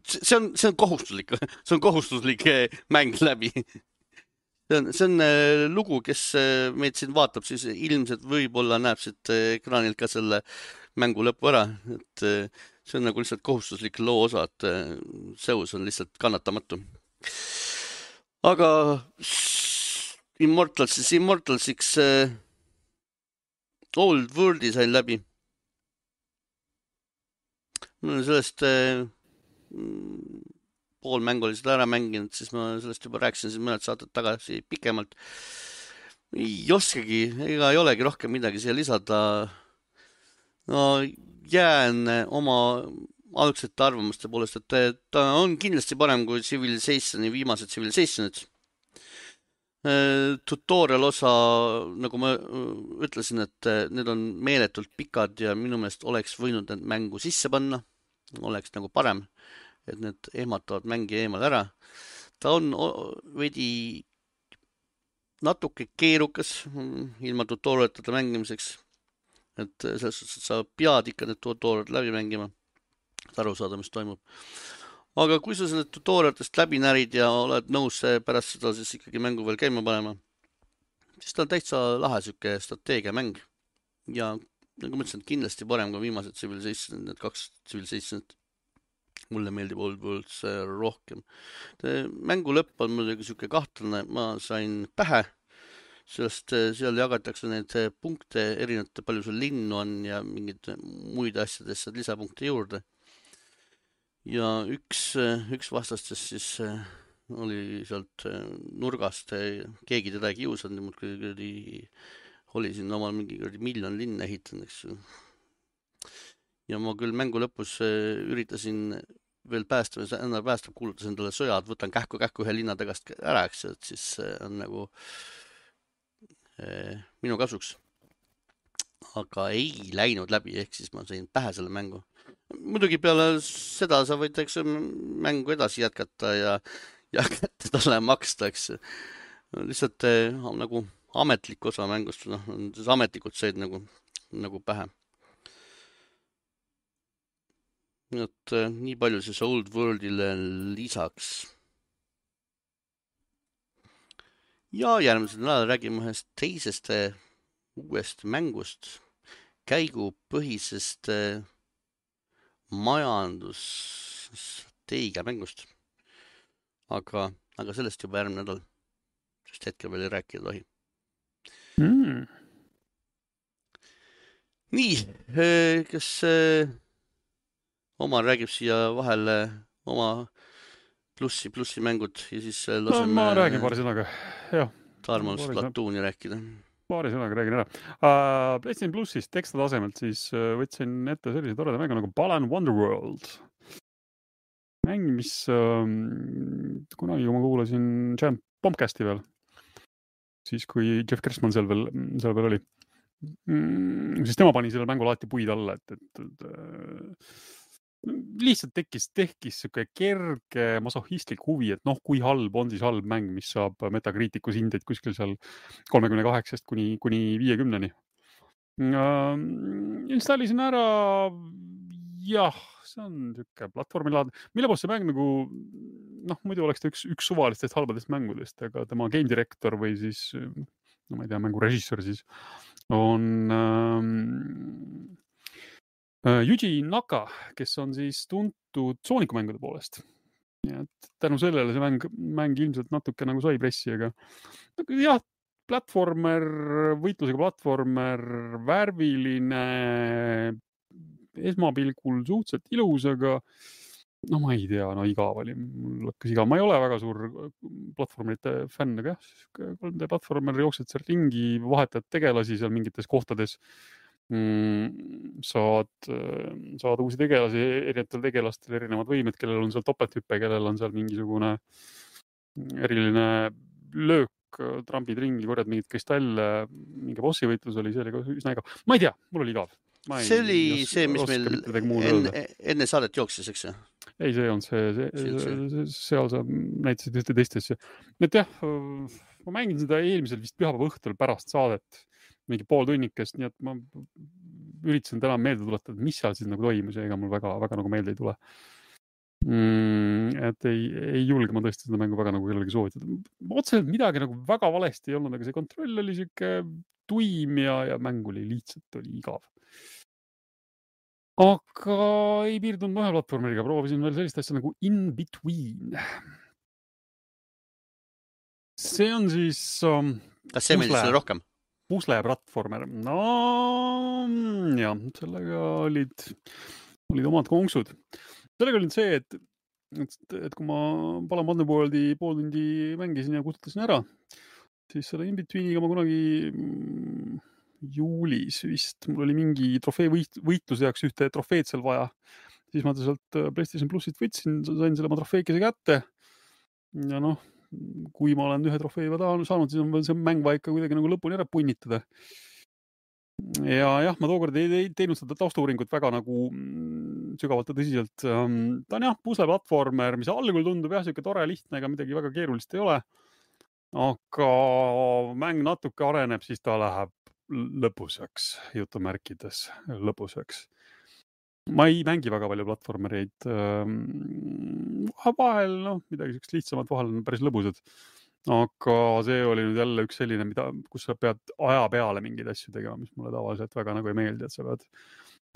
See on kohustuslik. See on kohustuslik mäng läbi. See on lugu, kes meid siin vaatab, siis ilmselt võib-olla näeb siit ekraanilt ka selle mängu lõpu ära. Et see on nagu lihtsalt kohustuslik loo osa, et Zeus on lihtsalt kannatamatu. Aga Immortalsiks Old Worldi sain läbi. Mul on sellest pool mängu oli seda ära mänginud, siis ma sellest juba rääkisin siin mõned saated tagasi pikemalt. Ei oskagi, ega ei olegi rohkem midagi siia lisada. Jään oma algsete arvamuste poolest, et ta on kindlasti parem kui Civilizationi viimased Civilizationid. Tutorial osa, nagu ma ütlesin, et need on meeletult pikad ja minu meelest oleks võinud need mängu sisse panna. Oleks nagu parem, et need ehmatavad mängi eemal ära. Ta on veidi natuke keerukas ilma tutorialita mängimiseks. Et selles suhtes, et sa pead ikka need tutorialid läbi mängima. Aru saada, mis toimub. Aga kui sa selle tutorialitest läbi närid ja oled nõus pärast seda siis ikkagi mängu veel käima panema, siis ta on täitsa lahe süke strateegiamäng. Ja nagu ma ütlesin, kindlasti parem kui viimased Civilizationid, need 2 Civilizationid. Mulle meeldib Old Worlds rohkem. Mängu lõpp on muidugi süke kahtlane, ma sain pähe, sest seal jagatakse neid punkte erinevate, palju sul linnu on ja mingid muid asjadest saad lisapunkte juurde. Ja üks vastastest siis oli sealt nurgast, keegi teda ei kiusanud, oli siin omal mingi 1 miljon linna ehitanud, eks. Ja ma küll mängu lõpus üritasin veel päästa, kuulutasin talle sõjad, võtan kähku ühe linna tagast ära, eks, et siis on nagu minu kasuks. aga ei läinud läbi, ehk siis ma sain pähe selle mängu. Muidugi peale seda sa võid, eks mängu edasi jätkata ja kätte talle maksta, eks. Lihtsalt nagu ametlik osa mängust, noh, ametlikult said nagu pähe. Et nii palju siis Old Worldile lisaks. Ja järgmisel nädalal räägime ühest teisest uuest mängust, käigupõhisest majandusstrateegia mängust. Aga sellest juba järgmine nädal, sest hetkel veel ei rääkida tohi. Nii, kas Omar räägib siia vahele oma plussi mängud ja siis laseme ma räägin paari sõnaga, jah. Tarmol Splatooni rääkida. Paari sõnaga räägin ära. PlayStation Plussist teksta tasemelt siis võtsin ette sellise toreda mängu nagu Balan Wonderworld. Mäng, mis kunagi, kui ma kuulasin Giant Bombcasti veel, siis kui Jeff Gerstmann seal veel oli, siis tema pani selle mängu laati puid alla, et lihtsalt tekkis siuke kerge masohhistlik huvi, et noh, kui halb on siis halb mäng, mis saab Metacriticus hindeid kuskil seal 38 kuni 50-ni. Installisin ära, jah, see on siuke platvormilaad, mille poolest see mäng nagu, noh, muidu oleks ta üks suvalistest halbadest mängudest, aga tema game director või siis, no ma ei tea, mängu režissöör siis on Yuji Naka, kes on siis tuntud Sooniku mängude poolest. Ja tänu sellele see mäng ilmselt natuke nagu sai pressi, aga jah, võitlusega platvormer, värviline, esmapilgul suhteliselt ilus, aga no ma ei tea, no igav oli, mul hakkas igav. Ma ei ole väga suur platvormerite fänn, aga jah, 3D platvormer jooksed seal ringi, vahetad tegelasi seal mingites kohtades, saad uusi tegelasi, erinevatel tegelastel erinevad võimed, kellel on seal topelthüppe, kellel on seal mingisugune eriline löök, trambid ringi, korjad mingid kristalle, mingi bossi võitlus oli, see oli ka üsna igav. Ma ei tea, mul oli igav. See oli see, mis meil enne saadet jooksis, eks? Ei, see on seal sa näitasid ühte teist asja. Et jah, ma mängin seda eelmisel vist pühapäeva õhtul pärast saadet, mingi pool tunnikest, nii et ma üritasin täna meelde tuletada, mis seal siis nagu toimus ja ega mul väga nagu meelde ei tule. Et ei julge ma tõesti seda mängu väga nagu kellelegi soovitada. Otseselt midagi nagu väga valesti ei olnud, aga see kontroll oli siuke tuim ja mäng oli lihtsalt igav. Aga ei piirdunud ühe platvormeriga, proovisin veel sellist asja nagu In Between. See on siis kas see meeldis sulle rohkem? Pusle-platvormer. No jah, sellega olid omad konksud. Sellega oli see, et kui ma Balan Wonderworldi pool tundi mängisin ja kustutasin ära, siis selle In Betweeniga ma kunagi juulis vist, mul oli mingi trofee võitluse jaoks ühte trofeed seal vaja. Siis ma sealt PlayStation Plussist võtsin, sain selle oma trofeekese kätte. Ja noh, kui ma olen ühe trofee saanud, siis on see mäng vaja ikka kuidagi nagu lõpuni ära punnitada. Ja jah, ma tookord ei teinud seda taustauuringut väga nagu sügavalt ja tõsiselt. Ta on jah, pusle-platvormer, mis algul tundub jah, siuke tore lihtne, ega midagi väga keerulist ei ole. Aga mäng natuke areneb, siis ta läheb lõpuseks, jutumärkides lõpuseks. Ma ei mängi väga palju platvormereid. Vahel, noh, midagi sellist lihtsamat, vahel on päris lõbusad. Aga see oli nüüd jälle üks selline, kus sa pead aja peale mingeid asju tegema, mis mulle tavaliselt väga nagu ei meeldi, et sa pead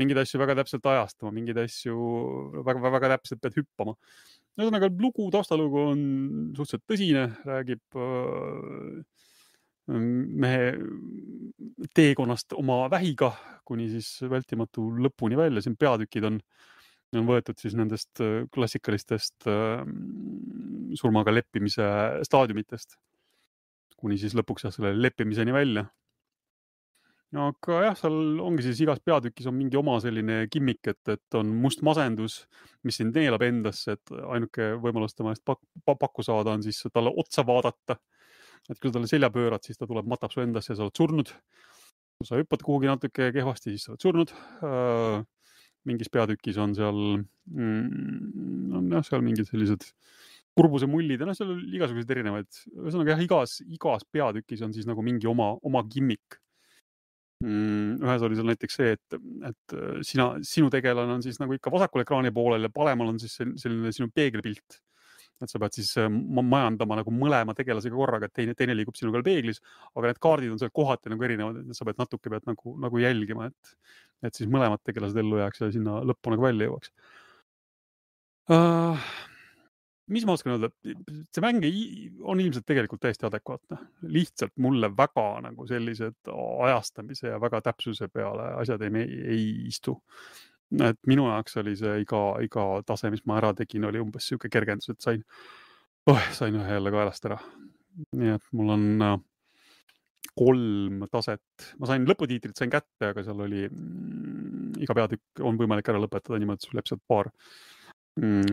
mingeid asju väga täpselt ajastama, mingeid asju väga täpselt pead hüppama. Ühesõnaga, taustalugu on suhteliselt tõsine, räägib mehe teekonnast oma vähiga kuni siis vältimatu lõpuni välja. Siin peatükid on võetud siis nendest klassikalistest surmaga leppimise staadiumitest kuni siis lõpuks selle leppimiseni välja. Aga jah, seal ongi siis igas peatükis on mingi oma selline kimmik, et on must masendus, mis sind neelab endasse, et ainuke võimalus tema eest pakku saada on siis talle otsa vaadata. Et kui sa talle selja pöörad, siis ta tuleb, matab su endasse ja sa oled surnud. kui sa hüppad kuhugi natuke kehvasti, siis sa oled surnud. Mingis peatükis on seal, seal mingid sellised kurbuse mullid ja seal on igasuguseid erinevaid. Ühesõnaga igas peatükis on siis nagu mingi oma gimmik. Ühes oli seal näiteks see, et sinu tegelane on siis nagu ikka vasakul ekraani poolel ja paremal on siis selline sinu peegelpilt. Et sa pead siis majandama nagu mõlema tegelasega korraga, et teine liigub sinu peal peeglis, aga need kaardid on seal kohati nagu erinevad, et sa pead natuke nagu jälgima, et siis mõlemad tegelased ellu jääks ja sinna lõppu nagu välja jõuaks. Mis ma oskan öelda? See mäng on ilmselt tegelikult täiesti adekvaatne. Lihtsalt mulle väga nagu sellised ajastamise ja väga täpsuse peale asjad ei istu. Et minu jaoks oli see iga tase, mis ma ära tegin, oli umbes siuke kergendus, et sain ühe jälle kaelast ära. Nii et mul on 3 taset. Ma sain lõputiitrit kätte, aga seal oli iga peatükk on võimalik ära lõpetada niimoodi, et sul läheb sealt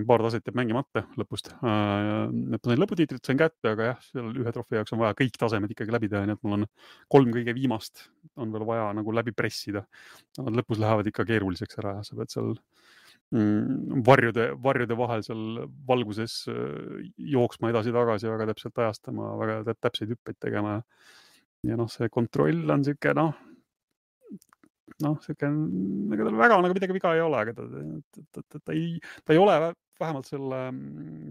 paar taset jääb mängimata lõpust. Ma sain lõputiitrit kätte, aga jah, seal ühe trofee jaoks on vaja kõik tasemed ikkagi läbi teha, nii et mul on 3 kõige viimast on veel vaja nagu läbi pressida. Nad lõpus lähevad ikka keeruliseks ära ja sa pead seal varjude vahel seal valguses jooksma edasi-tagasi, väga täpselt ajastama, väga täpseid hüppeid tegema. Ja see kontroll on siuke, siuke, tal väga nagu midagi viga ei ole, aga ta ei ole vähemalt selle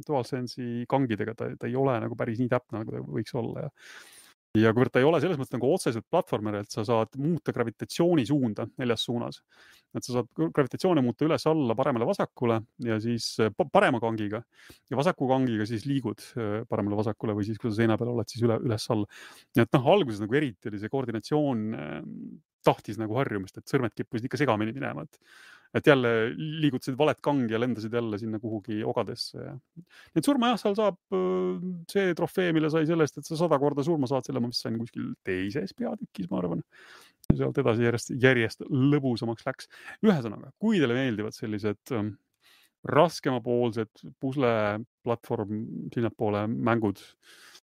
DualSense'i kangidega, ta ei ole nagu päris nii täpne, nagu ta võiks olla. Ja kuivõrd ta ei ole selles mõttes nagu otseselt platvormer, et sa saad muuta gravitatsiooni suunda 4 suunas. Et sa saad gravitatsiooni muuta üles-alla, paremale-vasakule ja siis parema kangiga ja vasaku kangiga siis liigud paremale-vasakule või siis, kui sa seina peal oled, siis üles-alla. Nii et alguses nagu eriti oli see koordinatsioon tahtis nagu harjumist, et sõrmed kippusid ikka segamini minema. Et jälle liigutasid valet kangi ja lendasid jälle sinna kuhugi ogadesse. Nii et surma jah, seal saab see trofee, mille sai sellest, et sa 100 korda surma saad, selle ma vist sain kuskil teises peatükis, ma arvan. Ja sealt edasi järjest lõbusamaks läks. Ühesõnaga, kui teile meeldivad sellised raskemapoolsed pusle-platvorm sinnapoole mängud,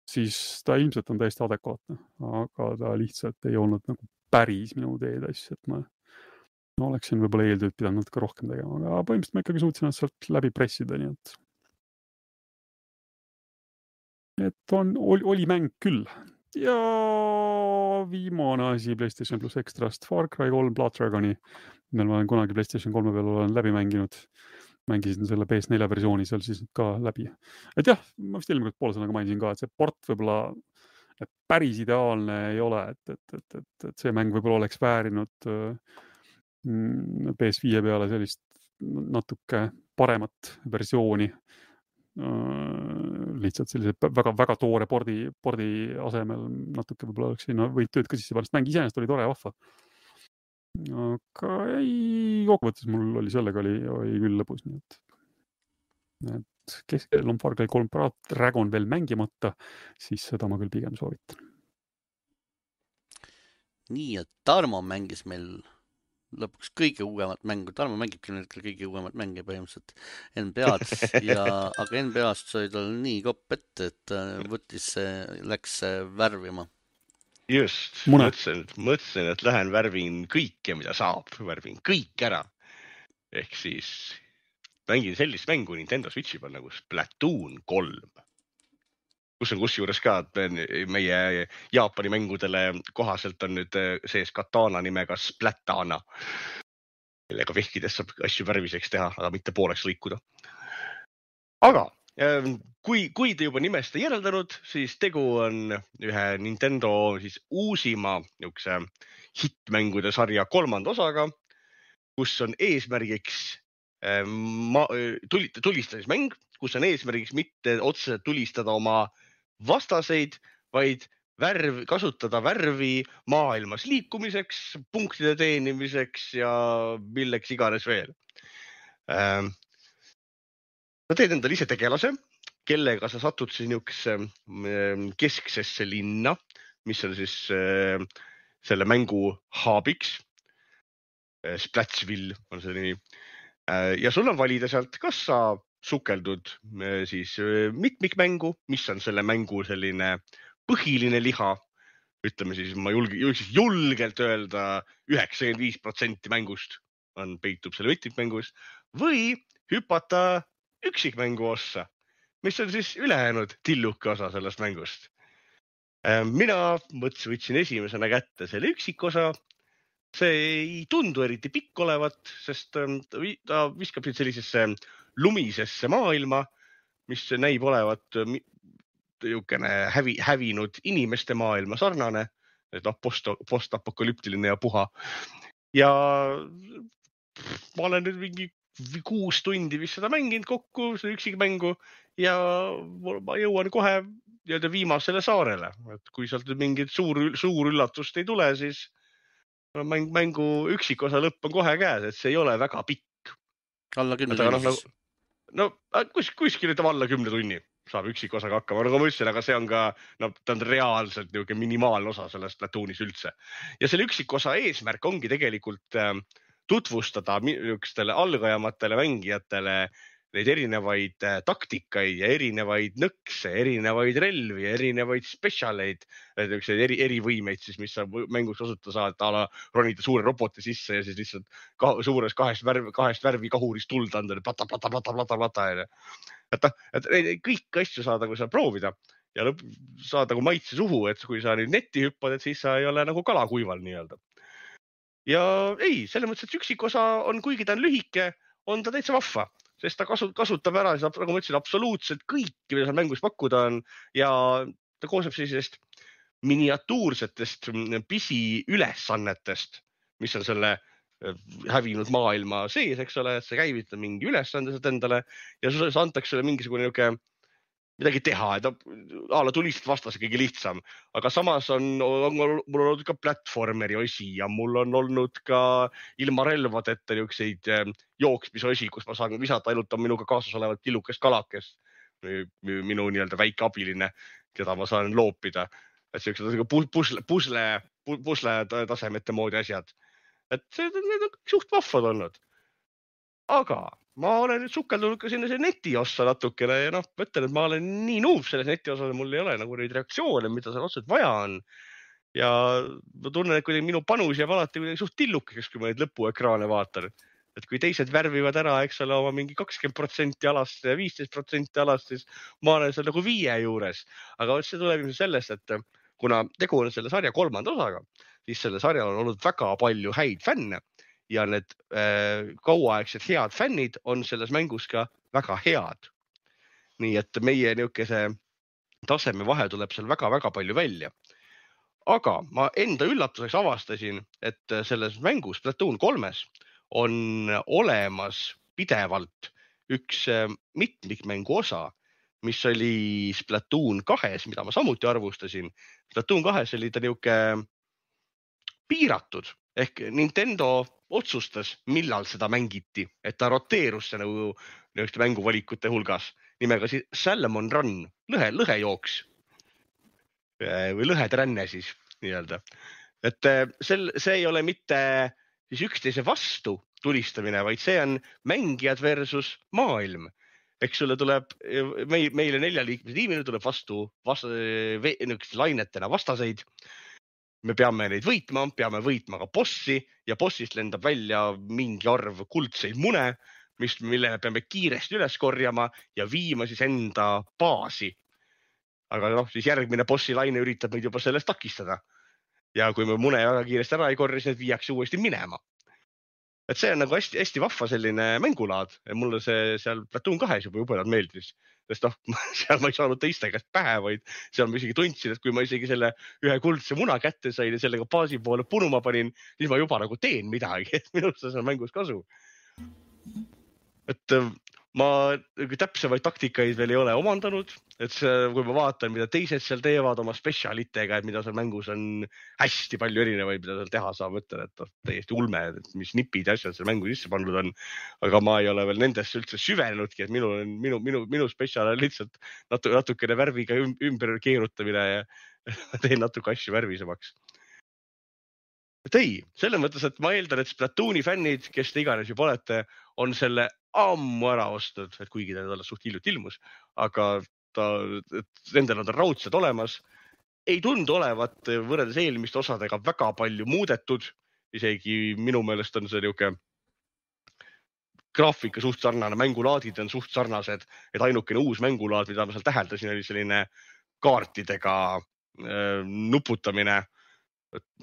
siis ta ilmselt on täiesti adekvaatne, aga ta lihtsalt ei olnud nagu päris minu teedass, et ma oleksin võib-olla eeltööd pidanud natuke rohkem tegema, aga põhimõtteliselt ma ikkagi suutsin sealt läbi pressida, nii et oli mäng küll. Ja viimane asi PlayStation Plus Extrast, Far Cry 3 Blood Dragoni, mille ma olen kunagi PlayStation 3 peal olen läbi mänginud. Mängisin selle PS4 versiooni seal siis ka läbi. Et jah, ma vist eelmine poole sõnaga mainisin ka, et see port võib-olla päris ideaalne ei ole, et see mäng võib-olla oleks väärinud PS5 peale sellist natuke paremat versiooni. Lihtsalt sellise väga toore pordi asemel natuke võib-olla oleks siin võid tööd ka sisse panna, mäng iseenesest oli tore ja vahva. Aga kokkuvõttes mul oli sellega oli küll lõbus, nii et keskel on Far Cry 3 Dragon veel mängimata, siis seda ma küll pigem soovitan. Nii, et Tarmo mängis meil lõpuks kõige uuemat mängu. Tarmo mängibki kõige uuemat mänge põhimõtteliselt NBA-d, aga NBA-st sai tal nii kopp ette, et läks värvima. Just, mõtlesin, et lähen värvin kõike, mida saab, värvin kõik ära. Ehk siis mängin sellist mängu Nintendo Switchi peal nagu Splatoon 3. Kus on kusjuures ka, et meie Jaapani mängudele kohaselt on nüüd sees katana nimega Splatana, millega vehkides saab asju värviseks teha, aga mitte pooleks lõikuda. Aga kui te juba nimest ei järeldanud, siis tegu on ühe Nintendo siis uusima hittmängude sarja 3. osaga, kus on eesmärgiks tulistamismäng, kus on eesmärgiks mitte otseselt tulistada oma vastaseid, vaid kasutada värvi maailmas liikumiseks, punktide teenimiseks ja milleks iganes veel. Sa teed endale ise tegelase, kellega sa satud siis niisugusesse kesksesse linna, mis on siis selle mängu haabiks. Splatsville on see nimi. Ja sul on valida sealt, kas sa sukeldud siis mitmikmängu, mis on selle mängu selline põhiline liha, ütleme siis, ma julgelt öelda 95% mängust peitub selle võttikmängus või hüpata üksikmängu ossa, mis on siis ülejäänud tilluke osa sellest mängust. Mina võtsin esimesena kätte selle üksikosa. See ei tundu eriti pikk olevat, sest ta viskab sellisesse lumisesse maailma, mis näib olevat hävinud inimeste maailma sarnane, postapokalüptiline ja puha. Ja ma olen nüüd mingi 6 tundi vist seda mänginud kokku, see üksikmängu, ja ma jõuan kohe viimasele saarele. Et kui sealt mingit suur üllatust ei tule, siis mängu üksikosa lõpp on kohe käes, et see ei ole väga pikk. Alla 10 tunni siis? No kuskil alla 10 tunni saab üksikosaga hakkama, nagu ma ütlesin, aga see on ka, ta on reaalselt minimaalne osa sellest Platoonis üldse. Ja selle üksikosa eesmärk ongi tegelikult tutvustada niisugustele algajamatele mängijatele neid erinevaid taktikaid ja erinevaid nõkse, erinevaid relvi, erinevaid spetsialeid, erivõimeid siis, mis sa mängus kasutada saad, ala ronida suure roboti sisse ja siis lihtsalt suures kahest värvi kahurist tuld anda, plata. Et kõik asju saada, kui sa proovida ja saada maitse suhu, et kui sa nüüd netti hüppad, et siis sa ei ole nagu kalakuival nii-öelda. Ja ei, selles mõttes, et üksikosa on, kuigi ta on lühike, on ta täitsa vahva, sest ta kasutab ära, nagu ma ütlesin, absoluutselt kõiki, mida seal mängus pakkuda on ja ta koosneb sellisest miniatuursetest pisiülesannetest, mis on selle hävinud maailma sees, eks ole, et see käivitab mingi ülesandesed endale ja see antakse sulle mingisugune midagi teha, et ala tulist vastas kõige lihtsam, aga samas mul on olnud ka platvormeri osi ja mul on olnud ka ilma relvadeta niisuguseid jooksmisosi, kus ma saan visata ainult minuga kaasas olevat tillukest kalakest, minu nii-öelda väike abiline, keda ma saan loopida. Et sellised pusle tasemete moodi asjad. Et need on suht vahvad olnud. Aga ma olen nüüd sukeldunud ka sinna netiossa natukene ja mõtlen, et ma olen nii nuub selles netiosa, mul ei ole nagu neid reaktsioone, mida seal otseselt vaja on. Ja ma tunnen, et kui minu panus jääb alati suht tillukeks, kui ma neid lõpuekraane vaatan. Et kui teised värvivad ära, eks ole, oma mingi 20% alast ja 15% alast, siis ma olen seal nagu 5 juures. Aga see tuleb sellest, et kuna tegu on selle sarja 3. osaga, siis selle sarja on olnud väga palju häid fänne. Ja need kauaaegsed head fännid on selles mängus ka väga head. Nii et meie niisuguse taseme vahe tuleb seal väga-väga palju välja. Aga ma enda üllatuseks avastasin, et selles mängus Platoon 3 on olemas pidevalt üks mitmikmängu osa, mis oli Platoon 2, mida ma samuti arvustasin. Platoon 2 oli ta niisugune piiratud, ehk Nintendo otsustas, millal seda mängiti, et ta roteerus see nagu mänguvalikute hulgas nimega Salmon Run, lõhejooks või lõhetränne siis nii-öelda. Et see ei ole mitte siis üksteise vastu tulistamine, vaid see on mängijad versus maailm. Eks sulle tuleb, meile 4-liikmelise tiimile tuleb vastu lainetena vastaseid. Me peame neid võitma ka bossi ja bossist lendab välja mingi arv kuldseid mune, mille peame kiiresti üles korjama ja viima siis enda baasi. Aga siis järgmine bossi laine üritab meid juba sellest takistada. Ja kui me mune väga kiiresti ära ei korri, siis need viiakse uuesti minema. Et see on nagu hästi vahva selline mängulaad. Mulle see seal Platoon 2 juba jubedalt meeldis. Sest seal ma ei saanud teiste käest pähe, vaid seal ma isegi tundsin, et kui ma isegi selle ühe kuldse muna kätte sain ja sellega baasi poole punuma panin, siis ma juba nagu teen midagi, et minust see on mängus kasu. Et ma täpsemaid taktikaid veel ei ole omandanud, et kui ma vaatan, mida teised seal teevad oma spetsialitega, et mida seal mängus on hästi palju erinevaid, mida seal teha saab, mõtlen, et täiesti ulme, et mis nipid ja asjad seal mängu sisse pandud on. Aga ma ei ole veel nendesse üldse süvenudki, et minu spetsial on lihtsalt natukene värviga ümber keerutamine ja teen natuke asju värvisemaks. Et ei, selle mõttes, et ma eeldan, et Splatooni fännid, kes te iganes juba olete, on selle ammu ära ostnud, et kuigi ta alles suht hiljuti ilmus, aga nendel on ta raudselt olemas ei tundu olevat võrreldes eelmiste osadega väga palju muudetud. Isegi minu meelest on see niuke graafika suht sarnane, mängulaadid on suht sarnased, et ainukene uus mängulaad, mida ma seal täheldasin, oli selline kaartidega nuputamine.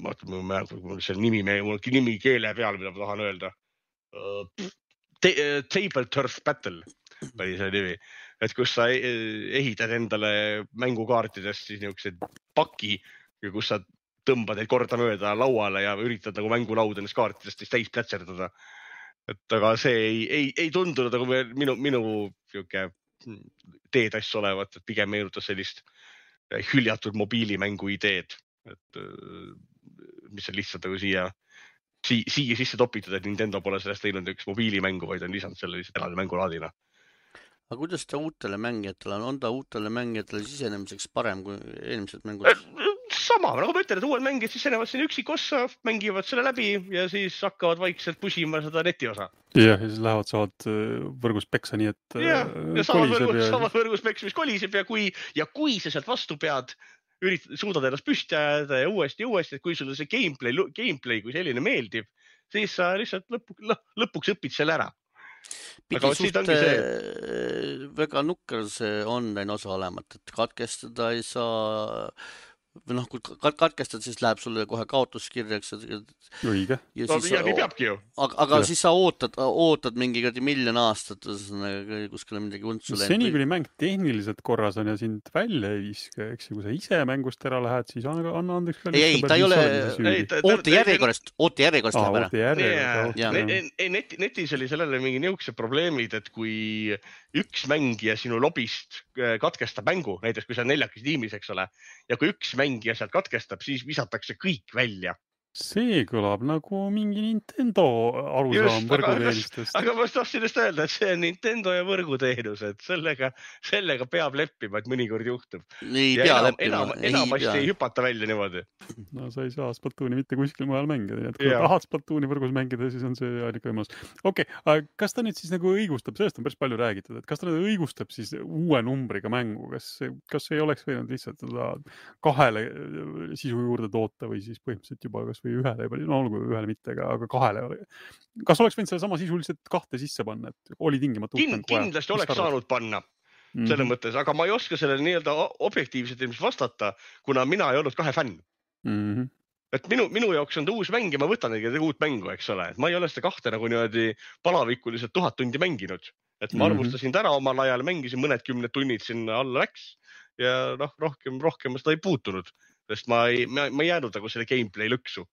Mul see nimi keele peal, mida ma tahan öelda. Table Turf Battle oli see nimi. Et kus sa ehitad endale mängukaartidest siis niisugused paki, kus sa tõmbad neid korda mööda lauale ja üritad nagu mängulaud ennast kaartidest siis täis plätserdada. Et aga see ei tundunud nagu minu teedass olevat, et pigem meenutas sellist hüljatud mobiilimängu ideed, et mis on lihtsalt nagu siia sisse topitud, et Nintendo pole sellest teinud üks mobiilimängu, vaid on lisanud selle lihtsalt eraldi mängulaadina. Aga kuidas ta uutele mängijatele on ta uutele mängijatele sisenemiseks parem kui eelmised mängud? Sama, nagu ma ütlen, et uued mängijad sisenevad siin üksikossa, mängivad selle läbi ja siis hakkavad vaikselt pusima seda netiosa. Ja siis saavad võrgus peksa nii, et sama võrgus peksa, mis koliseb ja kui sa sealt vastu pead, suudad ennast püsti ajada ja uuesti, et kui sulle see gameplay kui selline meeldib, siis sa lihtsalt lõpuks õpid selle ära. Pidi suht väga nukker see online osa olemat, et katkestada ei saa, või noh, kui katkestad, siis läheb sulle kohe kaotuskirjaks. Õige. Ja nii peabki ju. Aga siis sa ootad mingi miljon aastat kuskile midagi untsu läinud. Seni, kui mäng tehniliselt korras on ja sind välja ei viska, eks ju, kui sa ise mängust ära lähed, siis anna andeks. Ei, ta ei ole oote järjekorrast läheb ära. Netis oli sellele mingi niisugused probleemid, et kui üks mängija sinu lobist katkestab mängu, näiteks kui sa neljakis tiimis, eks ole, ja kui üks mängija sealt katkestab, siis visatakse kõik välja. See kõlab nagu mingi Nintendo arusaam võrguteenistest. Aga ma tahtsin just öelda, et see on Nintendo ja võrguteenus, et sellega peab leppima, et mõnikord juhtub. Enamasti ei hüpata välja niimoodi. No sa ei saa Splatooni mitte kuskil mujal mängida. Kui tahad Splatooni võrgus mängida, siis on see ainuke võimalus. Okei, kas ta nüüd siis nagu õigustab, sellest on päris palju räägitud, et kas ta nüüd õigustab siis uue numbriga mängu? Kas ei oleks võinud lihtsalt kahele sisu juurde toota või siis põhimõtteliselt juba kas või ühele, no olgu ühele mitte, aga kahele ole. Kas oleks võinud selle sama sisuliselt kahte sisse panna, et oli tingimata kindlasti oleks saanud panna selle mõttes, aga ma ei oska sellele nii-öelda objektiivselt vastata, kuna mina ei olnud kahe fänn. Et minu jaoks on ta uus mäng ja ma võtan neid uut mängu, eks ole. Et ma ei ole seda kahte nagu niimoodi palavikuliselt 1000 tundi mänginud. Et ma arvustasin täna omal ajal, mängisin mõned 10 tunnid sinna alla läks ja rohkem ma seda ei puutunud. Sest ma ei jäänud nagu selle gameplay lõksu.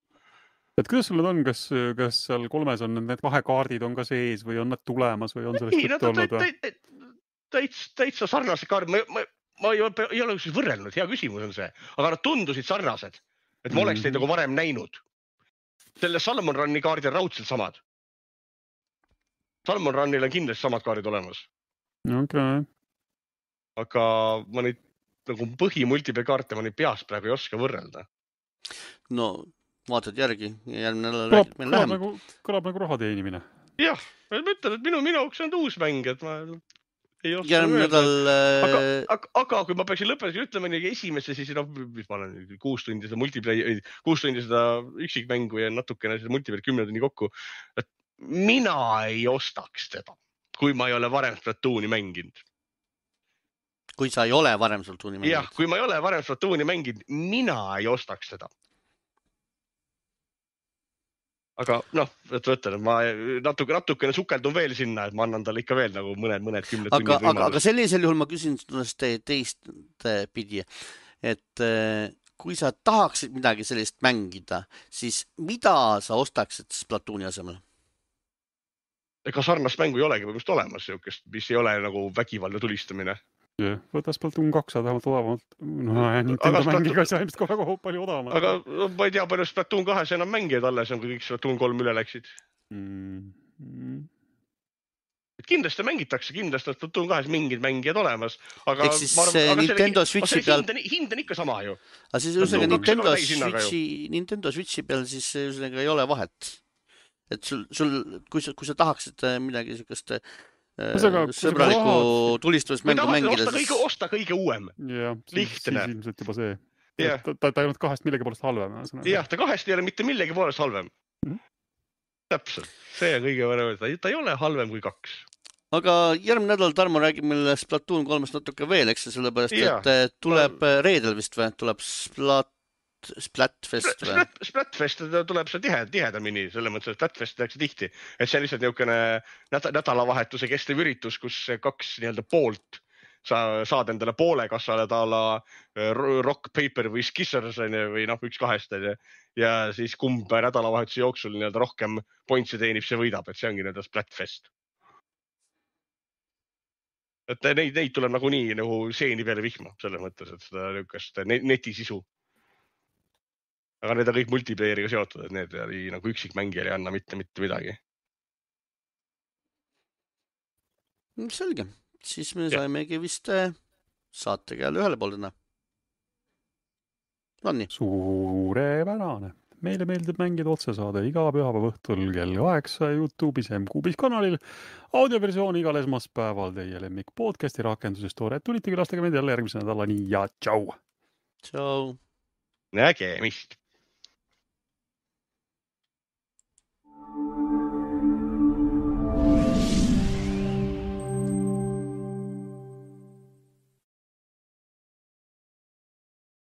Et kuidas sul on, kas seal 3 on need vahekaardid on ka sees või on nad tulemas või on sellest juttu olnud? Täitsa sarnased kaardid. Ma ei ole võrrelnud, hea küsimus on see. Aga nad tundusid sarnased, et ma oleks neid nagu varem näinud. Selle Salmon Runni kaardid on raudselt samad. Salmon Runnil on kindlasti samad kaardid olemas. Okay. Aga ma neid nagu põhimultipeekaarte ma neid peast praegu ei oska võrrelda. No, vaatad järgi. Kõlab nagu raha teenimine. Jah, ma ütlen, et minu jaoks on uus mäng, et ma ei oska võrrelda. Aga kui ma peaksin lõpetusega ütlema esimesse, siis mis ma olen 6 tundi seda multiplayer, 6 tundi seda üksikmängu ja natukene seda multiplayer 10 tunni kokku, et mina ei ostaks teda, kui ma ei ole varem Splatooni mänginud. Kui sa ei ole varem Splatooni mänginud? Jah, kui ma ei ole varem Splatooni mänginud, mina ei ostaks seda. Aga et võtan, et ma natukene sukeldun veel sinna, et ma annan talle ikka veel nagu mõned 10 tunnid võimalus. Aga sellisel juhul ma küsin teist pidi, et kui sa tahaksid midagi sellist mängida, siis mida sa ostaksid Splatooni asemel? Ega sarnast mängu ei olegi võimust olemas, mis ei ole nagu vägivaldne tulistamine. Võta Splatoon 2 vähemalt odavamalt. Nintendo mängiga sai ilmselt väga palju odavamalt. Aga ma ei tea, palju Splatoon 2 enam mängijad alles on, kui kõik Splatoon 3 üle läksid. Kindlasti mängitakse, kindlasti on Splatoon 2 mingid mängijad olemas. Aga Nintendo Switchi peal... Hind on ikka sama ju. Aga siis Nintendo Switchi peal siis ei ole vahet. Et kui sa tahaksid midagi sellist sõbraliku tulistuvast mängu mängida, siis... Osta kõige uuem. Jah, siis ilmselt juba see. ta ei olnud 2 millegi poolest halvem. Jah, ta 2 ei ole mitte millegi poolest halvem. Täpselt, see on kõige võrra, ta ei ole halvem kui 2. Aga järgmine nädal Tarmo räägib meile Splatoon 3-st natuke veel, eks see sellepärast, et tuleb reedel vist või? Tuleb Splatfest või? Splatfest tuleb see tihedamini, selle mõttes, et Splatfest tehakse tihti. Et see on lihtsalt niisugune nädalavahetuse kestev üritus, kus 2 nii-öelda poolt saad endale poole kassale taala rock, paper või scissors või üks 2. Ja siis kumb nädalavahetuse jooksul nii-öelda rohkem pointsi teenib, see võidab, et see ongi nii-öelda Splatfest. Et neid tuleb nagunii nagu seeni peale vihma, selles mõttes, et seda niisugust netisisu. Aga need on kõik multiplayeriga seotud, et need nagu üksikmängijal ei anna mitte midagi. Selge. Siis me saimegi vist saatega jälle ühele poole täna. Nonii. Suurepärane. Meile meeldib mängida otsesaade iga pühapäeva õhtul kell 8 YouTube'is M-Kuubis kanalil. Audioversioon igal esmaspäeval teie lemmik podcasti rakenduses toore. Tulite külastage meid jälle järgmise nädalani ja tšau! Tšau! Nägemist!